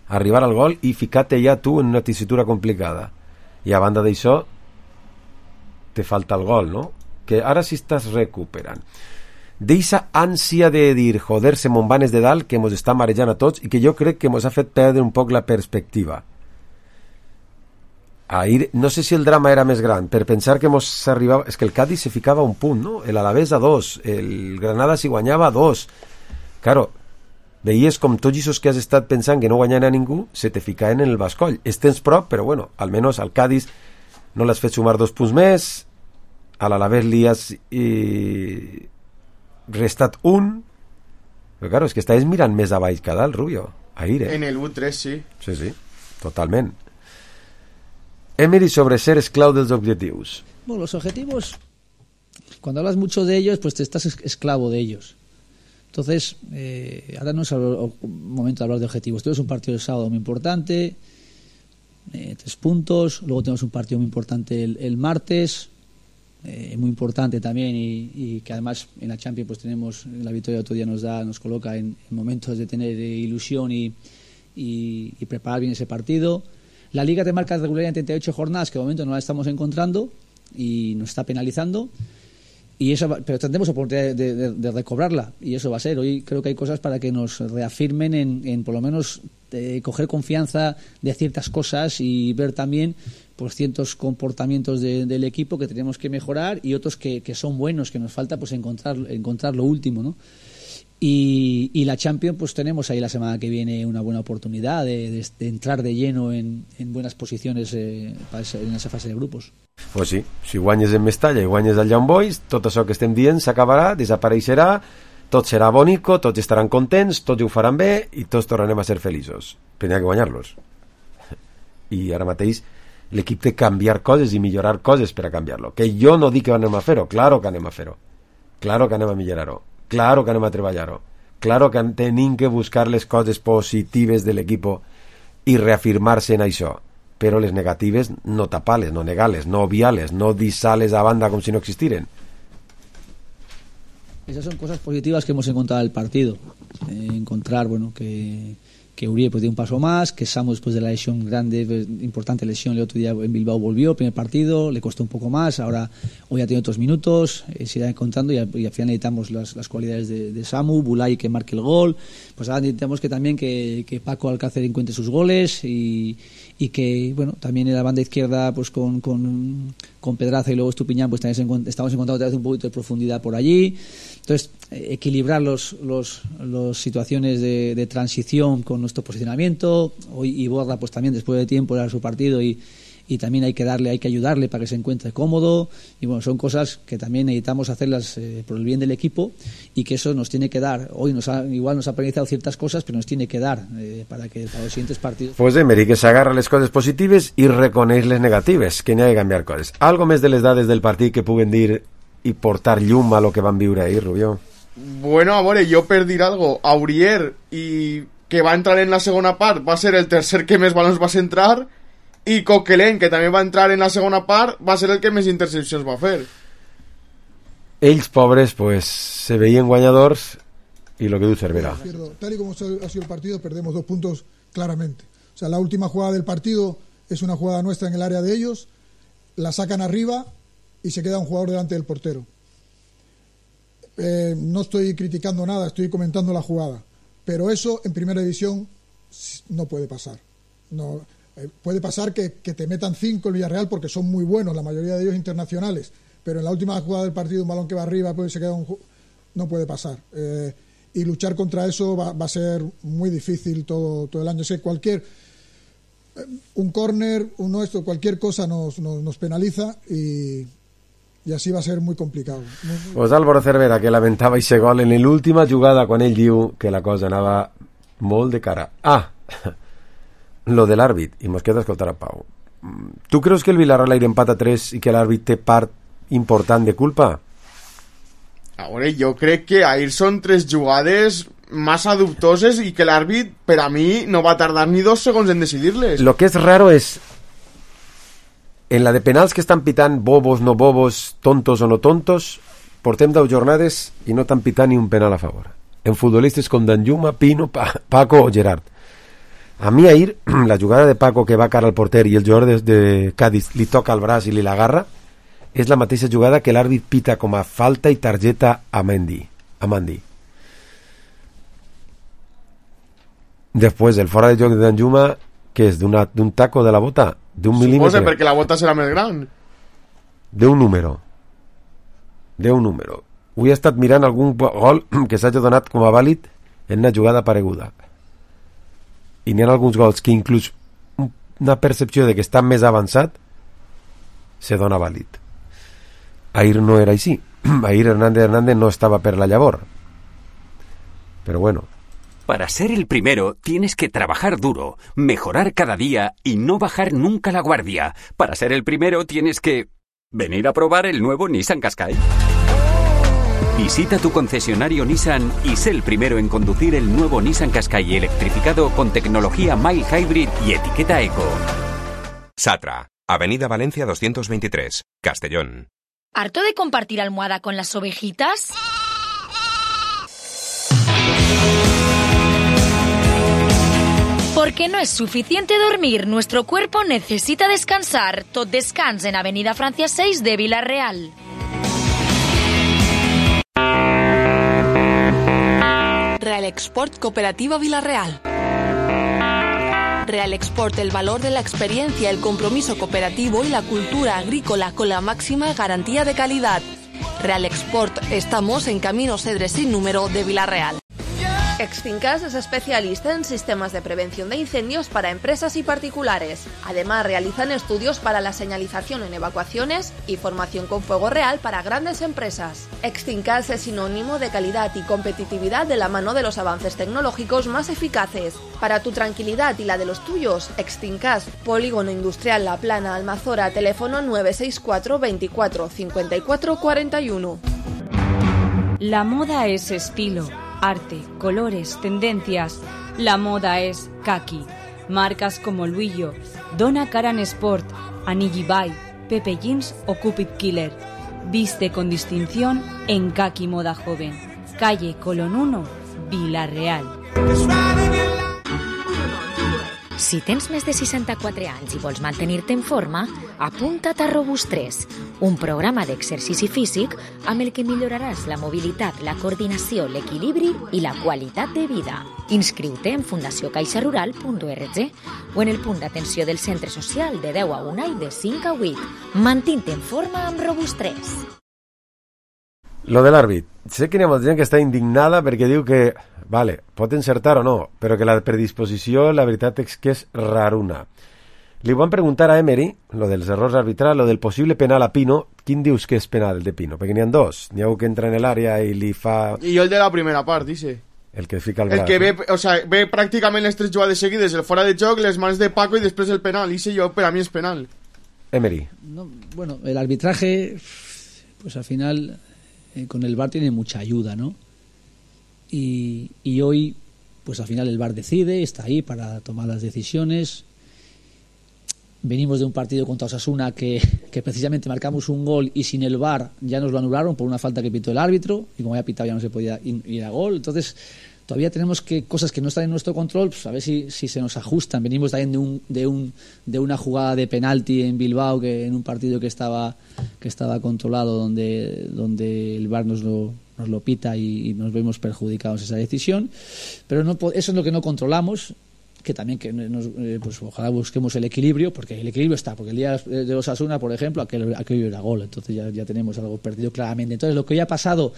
arribar al gol i ficar-te ja tu en una tessitura complicada, i a banda d'això te falta el gol, no? Que ara sí estàs recuperant d'eixa ànsia de dir joder, se me'n van de dalt, que mos està marejant a tots i que jo crec que mos ha fet perdre un poc la perspectiva. Ahir, no sé si el drama era més gran per pensar que mos arribava, és que el Cádiz se ficava a un punt, no? El Alavés a 2, el Granada si guanyava a 2. Claro, veies com tots aquests que has estat pensant que no guanyaven a ningú se te ficaven en el bascoll. Estens prop, però bueno, almenys al Cádiz no l'has fet sumar 2 punts més, a l'Alavés li has restat 1, però claro, és que estaves mirant més a baix que a dalt, Rubio, ahir, En el 1-3, sí. Sí, totalment. Emery sobre ser esclavo de los objetivos. Bueno, los objetivos, cuando hablas mucho de ellos, pues te estás esclavo de ellos. Entonces, ahora no es el momento de hablar de objetivos. Tenemos un partido de sábado muy importante, 3 puntos. Luego tenemos un partido muy importante el martes, muy importante también, y que además en la Champions pues tenemos la victoria de otro día, nos coloca en momentos de tener ilusión y preparar bien ese partido. La Liga te marca regularidad en 38 jornadas, que de momento no la estamos encontrando y nos está penalizando. Y eso, pero tendremos oportunidad de recobrarla, y eso va a ser. Hoy creo que hay cosas para que nos reafirmen en por lo menos coger confianza de ciertas cosas y ver también pues ciertos comportamientos del equipo que tenemos que mejorar, y otros que son buenos, que nos falta pues encontrar lo último, ¿no? Y la Champions, pues tenemos ahí la semana que viene una buena oportunidad de entrar de lleno en buenas posiciones en esa fase de grupos. Pues sí, si guanyes en Mestalla i guanyes al Young Boys, tot això que estem dient s'acabarà, desapareixerà, tot serà bonico, tots estaran contents, tots ho faran bé i tots tornarem a ser feliços. Però n'hi ha que guanyar-los. I ara mateix l'equip té que canviar coses i millorar coses per a canviar-lo. Que jo no dic que anem a fer-ho, claro que anem a fer-ho. Claro que anem a millorar-ho. Claro que anem a treballar-ho. Claro que tenim que buscar les coses positives de l'equip i reafirmar-se en això. Però les negatives no tapar-les, no negar-les, no obviar-les, no deixar-les a banda com si no existiren. Esas son cosas positivas que hemos encontrado en el partido. Encontrar, bueno, que Uribe pues dio un paso más, que Samu después de la lesión grande, importante lesión, el otro día en Bilbao volvió, primer partido, le costó un poco más, ahora hoy ha tenido otros minutos, se irá encontrando y al final necesitamos las cualidades de Samu, Bulay que marque el gol, pues ahora necesitamos que también que Paco Alcácer encuentre sus goles y que, bueno, también en la banda izquierda pues con Pedraza y luego Estupiñán pues también estamos encontrando otra vez un poquito de profundidad por allí. Entonces, equilibrar los situaciones de transición con nuestro posicionamiento. Hoy Iborra pues también después de tiempo era su partido y también hay que ayudarle para que se encuentre cómodo, y bueno, son cosas que también necesitamos hacerlas por el bien del equipo, y que eso nos tiene que dar. Hoy igual nos ha penalizado ciertas cosas, pero nos tiene que dar para los siguientes partidos. Pues Emery, que s'agarra les coses positives i reconeix les negatives, que n'hi ha de canviar coses. Algo més de les dades del partit que puguen dir i portar llum a lo que van viure ahir, Rubió? Bueno, amore, jo per dir algo, Aurier, i que va entrar en la segona part, va ser el tercer que més balons va centrar, i Coquelin, que també va entrar en la segona part, va ser el que més intercepcions va fer. Ells, pobres, pues se veien guanyadors, y lo que diu Cervera. Tal y como ha sido el partido, perdemos 2 puntos claramente. O sea, la última jugada del partido es una jugada nuestra en el área de ellos, la sacan arriba y se queda un jugador delante del portero. No estoy criticando nada, estoy comentando la jugada, pero eso en primera división no puede pasar. No, puede pasar que te metan 5 el Villarreal porque son muy buenos, la mayoría de ellos internacionales, pero en la última jugada del partido un balón que va arriba pues se queda no puede pasar. Y luchar contra eso va a ser muy difícil todo el año. Sé, un córner, cualquier cosa nos penaliza y así va a ser muy complicado. Pues Álvaro Cervera, que lamentava ese gol en l'última jugada quan ell diu que la cosa anava molt de cara. Lo de l'àrbit, i mos queda escoltar a Pau. Tu creus que el Villarreal empata 3 i que l'àrbit té part important de culpa? Ahora, jo crec que ahir són 3 jugades massa dubtoses i que l'àrbit, per a mi, no va tardar ni 2 segons en decidir-les. Lo que és raro és en la de penals que estan pitant bobos, no bobos, tontos o no tontos, portem 10 jornades i no t'han pitat ni un penal a favor. En futbolistes com Danjuma, Pino, Paco o Gerard. A mi ahir, la jugada de Paco que va cara al porter i el jugador de Cádiz li toca el braç i li l'agarra, és la mateixa jugada que l'àrbit pita com a falta i targeta a Mendy. Després, el fora de joc de Danjuma, que és d'un taco de la bota, d'un mil·límetre. Suposa, perquè la bota serà més gran. D'un número. Avui he estat mirant algun gol que s'hagi donat com a vàlid en una jugada pareguda. I n'hi ha alguns gols que inclús una percepció de que està més avançat se dona vàlid. Ahir no era així. Ahir Hernández no estava per la llavor. Pero bueno. Para ser el primero tienes que trabajar duro, mejorar cada día y no bajar nunca la guardia. Para ser el primero tienes que venir a probar el nuevo Nissan Qashqai. Visita tu concesionario Nissan y sé el primero en conducir el nuevo Nissan Qashqai electrificado con tecnología Mild Hybrid y etiqueta Eco. Satra, Avenida Valencia 223, Castellón. ¿Harto de compartir almohada con las ovejitas? Porque no es suficiente dormir, nuestro cuerpo necesita descansar. Tot Descans en Avenida Francia 6 de Vila-real. Real Export Cooperativa Vila-real. Real Export, el valor de la experiencia, el compromiso cooperativo y la cultura agrícola con la máxima garantía de calidad. Real Export, estamos en Camino Cedres sin número de Vila-real. Extincas es especialista en sistemas de prevención de incendios para empresas y particulares. Además, realizan estudios para la señalización en evacuaciones y formación con fuego real para grandes empresas. Extincas es sinónimo de calidad y competitividad de la mano de los avances tecnológicos más eficaces. Para tu tranquilidad y la de los tuyos, Extincas, Polígono Industrial La Plana, Almazora, teléfono 964 24 54 41. La moda es estilo, arte, colores, tendencias. La moda es kaki. Marcas como Luillo, Donna Karan Sport, Anigi Bay, Pepe Jeans o Cupid Killer. Viste con distinción en Kaki Moda Joven. Calle Colón 1, Vila-real. Si tens més de 64 anys i vols mantenir-te en forma, apunta't a Robust3, un programa d'exercici físic amb el que milloraràs la mobilitat, la coordinació, l'equilibri i la qualitat de vida. Inscriu-te en fundacioncaixarural.org o en el punt d'atenció del centre social de 10 a 1 i de 5 a 8. Mantint-te en forma amb Robust3. Lo de l'àrbit. Sé que hi ha molta gent que està indignada perquè diu que, vale, pot encertar o no, però que la predisposició, la veritat és que és raruna. Li van preguntar a Emery, lo dels errors arbitrals, lo del possible penal a Pino. Quin dius que és penal de Pino? Perquè n'hi ha dos. N'hi ha un que entra en l'àrea i li fa... I jo el de la primera part, dice. El que fica el braç. El que ve, o sea, ve pràcticament les tres jugades seguides, el fora de joc, les mans de Paco i després el penal. I jo, per a mi és penal. Emery. No, bueno, el arbitraje, pues al final... con el VAR tiene mucha ayuda, ¿no? Y hoy, pues al final el VAR decide, está ahí para tomar las decisiones. Venimos de un partido contra Osasuna que precisamente marcamos un gol y sin el VAR ya nos lo anularon por una falta que pitó el árbitro y como había pitado ya no se podía ir a gol. Entonces todavía tenemos cosas que no están en nuestro control, pues a ver si se nos ajustan. Venimos también de una jugada de penalti en Bilbao, que en un partido que estaba controlado, donde el VAR nos lo pita y nos vemos perjudicados esa decisión. Pero no, eso es lo que no controlamos, que también pues ojalá busquemos el equilibrio, porque el equilibrio está, porque el día de Osasuna, por ejemplo, aquello era gol, entonces ya tenemos algo perdido claramente. Entonces lo que hoy ha pasado...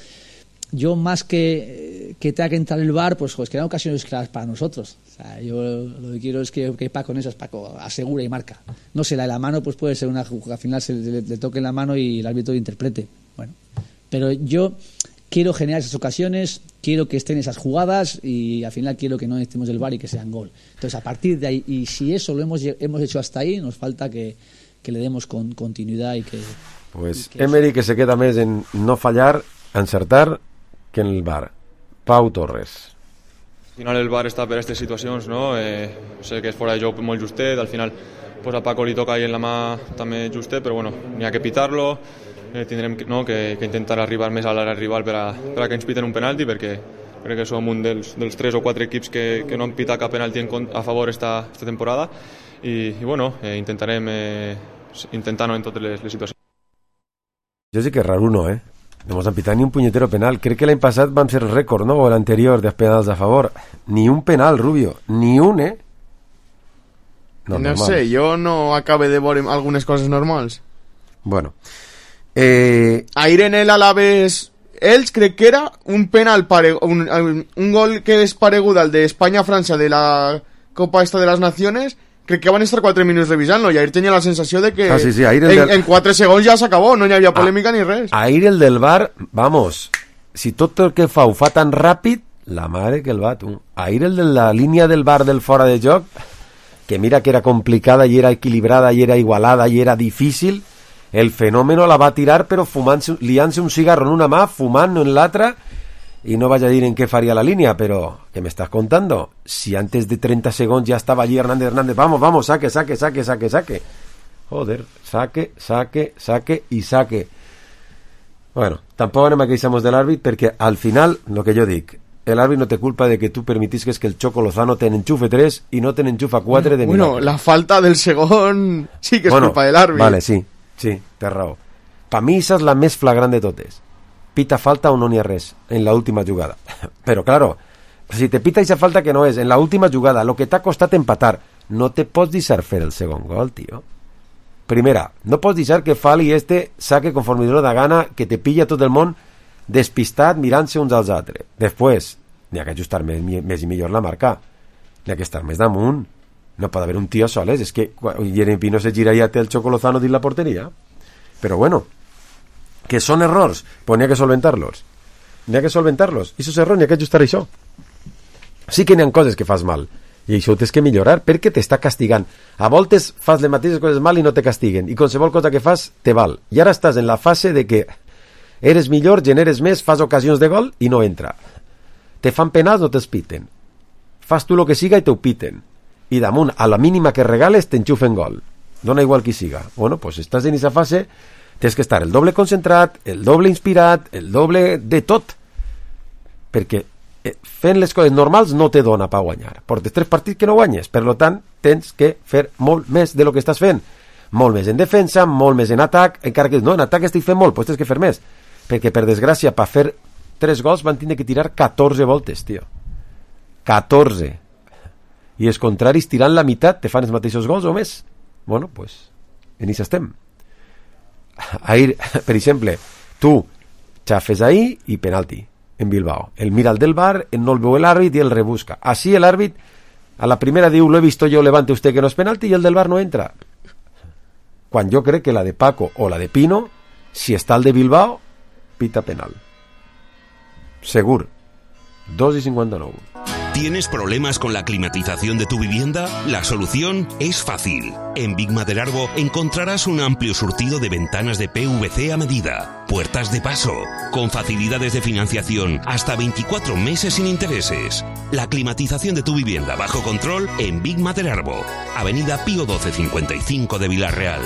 Yo más que tenga que entrar el VAR, pues que eran ocasiones claras para nosotros. O sea, yo lo que quiero es que Paco en esas, Paco asegura y marca. No sé, la de la mano pues puede ser una jugada, al final se le toque en la mano y el árbitro interprete. Bueno, pero yo quiero generar esas ocasiones, quiero que estén esas jugadas y al final quiero que no necesitemos el VAR y que sean gol. Entonces a partir de ahí, y si eso lo hemos hecho hasta ahí, nos falta que le demos con continuidad y que... Pues Emery, que se queda més en no fallar, encertar, que en el VAR. Pau Torres. Al final el VAR està per a aquestes situacions, no? Sé que és fora de joc molt justet, al final pues a Paco li toca ahí en la mà també justet, però bueno, n'hi ha que pitar-lo, tindrem que intentar arribar més a l'àrea rival per a que ens piten un penalti, perquè crec que som un dels 3 o 4 equips que no han pitat cap penalti a favor esta temporada i bueno, intentarem intentar-ho en totes les situacions. Jo sí que és raro, no, no hemos pitado ni un puñetero penal. Crec que l'any passat vam ser récord, ¿no? O l'anterior de penals a favor. Ni un penal, Rubio. Ni un, No sé, jo no acabe de veure algunes coses normals. Bueno. Ahir en el Alavés Elx crec que era un penal un gol que és paregut al d'Espanya-França de la Copa esta de las Naciones. Crec que van estar 4 minuts revisant-lo i ahir tenia la sensació de que sí, en 4 segons ja s'acabó, no hi havia polèmica ni res. Ahir el del VAR, vamos, si tot el que fa ho fa tan ràpid, la mare que el va, tu. Ahir el de la línia del VAR del fora de joc, que mira que era complicada i era equilibrada i era igualada i era difícil, el fenómeno la va a tirar, pero liándose un cigarro en una mà, fumando en la otra, y no vaya a decir en qué faría la línea, pero ¿qué me estás contando? Si antes de 30 segundos ya estaba allí Hernández, vamos, saque. Joder, saque y saque. Bueno, tampoco anem a queixar-nos de l'àrbit, perquè al final, el que jo dic, l'àrbit no té culpa de que tu permitisques que el Choco Lozano te n'enxufe 3 i no te n'enxufa 4 de milagre. Bueno, la falta del segon sí que és culpa de l'àrbit. Vale, sí, té raó. Per mi esa és la més flagrant de totes. Pita falta o no n'hi ha res en la última jugada. Però, claro, si te pita esa falta que no és, en la última jugada, lo que t'ha costat empatar, no te pots deixar fer el segon gol, tio. Primera, no pots deixar que Fali saque conforme li dona gana, que te pilla tot el món despistat mirant-se uns als altres. Després, n'hi ha que ajustar més i millor la marca. N'hi ha que estar més damunt. No pot haver un tio soles. És que Jeremy Pino se gira i ja té el Choco Lozano dins la porteria. Però bueno, que són errors, pues n'hi ha que solventar-los. I esos errors n'hi ha que ajustar això. Sí que n'hi ha coses que fas mal, i això ho tens que millorar perquè t'està castigant. A voltes fas les mateixes coses mal i no te castiguen, i qualsevol cosa que fas te val. I ara estàs en la fase de que eres millor, generes més, fas ocasions de gol i no entra. Te fan penals, no te'ls piten. Fas tu lo que siga i te ho piten. I damunt, a la mínima que regales, t'enxufen gol. Dona igual qui siga. Bueno, pues estàs en aquesta fase, tens que estar el doble concentrat, el doble inspirat, el doble de tot. Perquè fent les coses normals no te dona per guanyar. Portes 3 partits que no guanyes, per tant tens que fer molt més de lo que estàs fent, molt més en defensa, molt més en atac, encara que no, en atac estic fent molt, doncs tens que fer més, perquè per desgràcia per fer 3 gols van tindre que tirar 14 voltes, tio, 14, i els contraris tirant la meitat te fan els mateixos gols o més. Bueno, pues en això estem. Ahir, per exemple, tu xafes ahí i penalti en Bilbao. El mira el del bar, no el veu l'àrbit i el rebusca. Así el àrbit a la primera diu, lo he visto yo, levante usted que no es penalti, y el del bar no entra. Quan jo crec que la de Paco o la de Pino, si està el de Bilbao, pita penal. Segur. 2:59. ¿Tienes problemas con la climatización de tu vivienda? La solución es fácil. En Big Maderarbo encontrarás un amplio surtido de ventanas de PVC a medida, puertas de paso, con facilidades de financiación hasta 24 meses sin intereses. La climatización de tu vivienda bajo control en Big Maderarbo, Avenida Pío 1255 de Villarreal.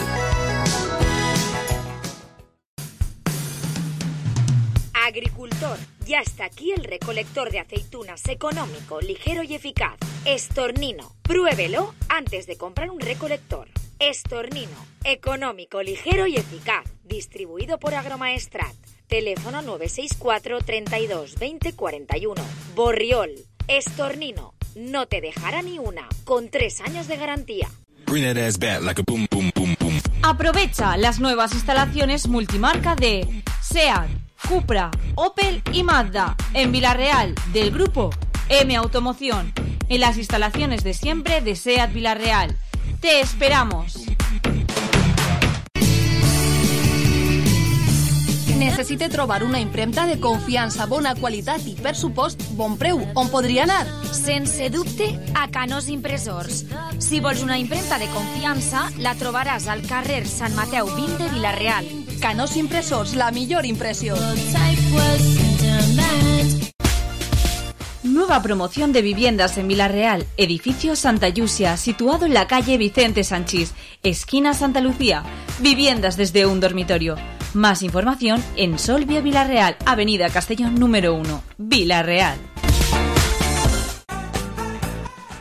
Agricultor, ya está aquí el recolector de aceitunas económico, ligero y eficaz. Estornino, pruébelo antes de comprar un recolector. Estornino, económico, ligero y eficaz. Distribuido por Agromaestrat. Teléfono 964 32 20 41. Borriol, Estornino, no te dejará ni una, con 3 años de garantía. Aprovecha las nuevas instalaciones multimarca de SEAT, Cupra, Opel y Mazda en Villarreal, del grupo M Automoción, en las instalaciones de siempre de SEAT Villarreal. ¡Te esperamos! Necessite trobar una impremta de confiança, bona qualitat i, per supost, bon preu. On podria anar? Sense dubte, a Canós Impressors. Si vols una impremta de confiança, la trobaràs al carrer Sant Mateu 20 de Villarreal. Canós Impressors, la millor impressió. Nueva promoción de viviendas en Villarreal, edificio Santa Yusia, situado en la calle Vicente Sanchís, esquina Santa Lucía. Viviendas desde un dormitorio. Más información en Solvia Villarreal, Avenida Castellón número 1, Villarreal.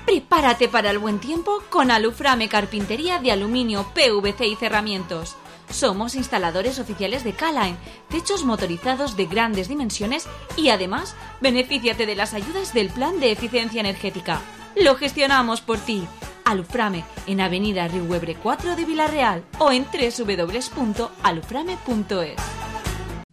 Prepárate para el buen tiempo con Aluframe Carpintería de Aluminio, PVC y Cerramientos. Somos instaladores oficiales de K-Line, techos motorizados de grandes dimensiones y además benefíciate de las ayudas del Plan de Eficiencia Energética. Lo gestionamos por ti. Aluframe en Avenida Riuebre 4 de Villarreal o en www.aluframe.es.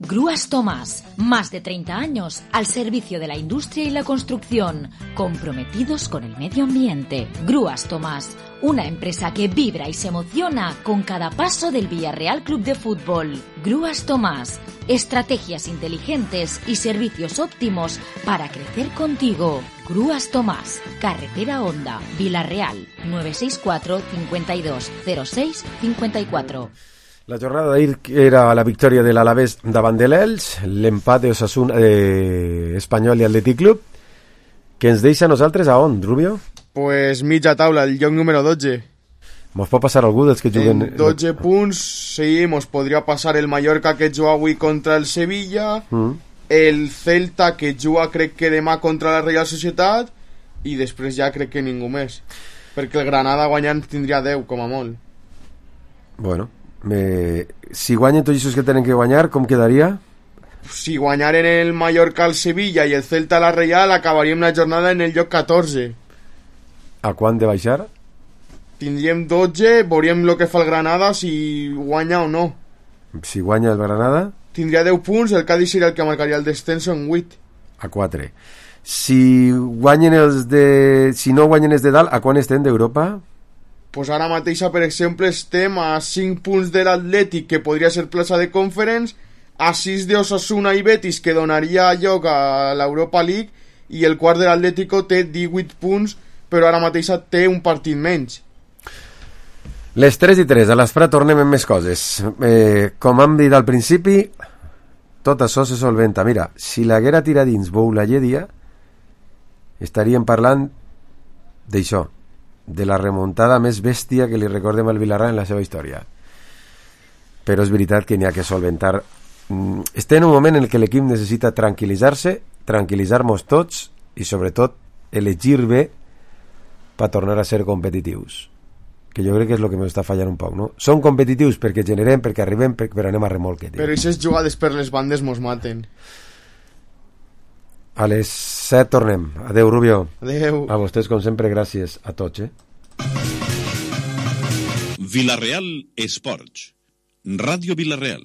Grúas Tomás, más de 30 años al servicio de la industria y la construcción, comprometidos con el medio ambiente. Grúas Tomás, una empresa que vibra y se emociona con cada paso del Villarreal Club de Fútbol. Grúas Tomás, estrategias inteligentes y servicios óptimos para crecer contigo. Grúas Tomás, Carretera Honda, Villarreal, 964 52 06 54. La jornada d'ahir era la victòria de l'Alavés davant de l'Elx, l'empat d'Osasuna, Espanyol i Atlètic Club, que ens deixa a nosaltres a on, Rubio? Pues mitja taula, el lloc número 12. Mos pot passar algú dels que juguen... En 12 punts, sí, mos podria passar el Mallorca que juga avui contra el Sevilla, el Celta que juga crec que demà contra la Real Societat, i després ja crec que ningú més. Perquè el Granada guanyant tindria 10, com a molt. Bueno, si guanyen tots els que tenen que guanyar, com quedaria? Si guanyaren el Mallorca al Sevilla i el Celta a la Real, acabaríem la jornada en el lloc 14. A quant de baixar? Tindríem 12, veuríem el que fa el Granada, si guanya o no. Si guanya el Granada? Tindria 10 punts, el Cádiz seria el que marcaria el descenso en 8. A 4. Si guanyen si no guanyen els de dalt, a quan estem d'Europa? Pues ara mateix, per exemple, estem a 5 punts de l'Atlètic, que podria ser plaça de Conference, a 6 de Osasuna i Betis, que donaria lloc a l'Europa League, i el quart de l'Atlético té 18 punts, però ara mateix té un partit menys. Les 3:03, a l'Esprà tornem amb més coses. Com hem dit al principi, tot això se solventa. Mira, si l'haguera tirat dins Boulaye dia, estaríem parlant d'això, de la remuntada més bèstia que li recordem al Villarreal en la seva història. Però és veritat que n'hi ha que solventar. Estem en un moment en què l'equip necessita tranquil·litzar-se, tranquil·litzar-nos tots i sobretot elegir bé per tornar a ser competitius, que jo crec que és el que m'està fallant un poc, no? Som competitius perquè generem, perquè arribem, però anem a remolque, tio. Però aquestes jugades per les bandes mos maten. A les 7 tornem. Adeu, Rubio. Adeu. A vostès, com sempre, gràcies a tots, Villarreal Esports. Ràdio Villarreal.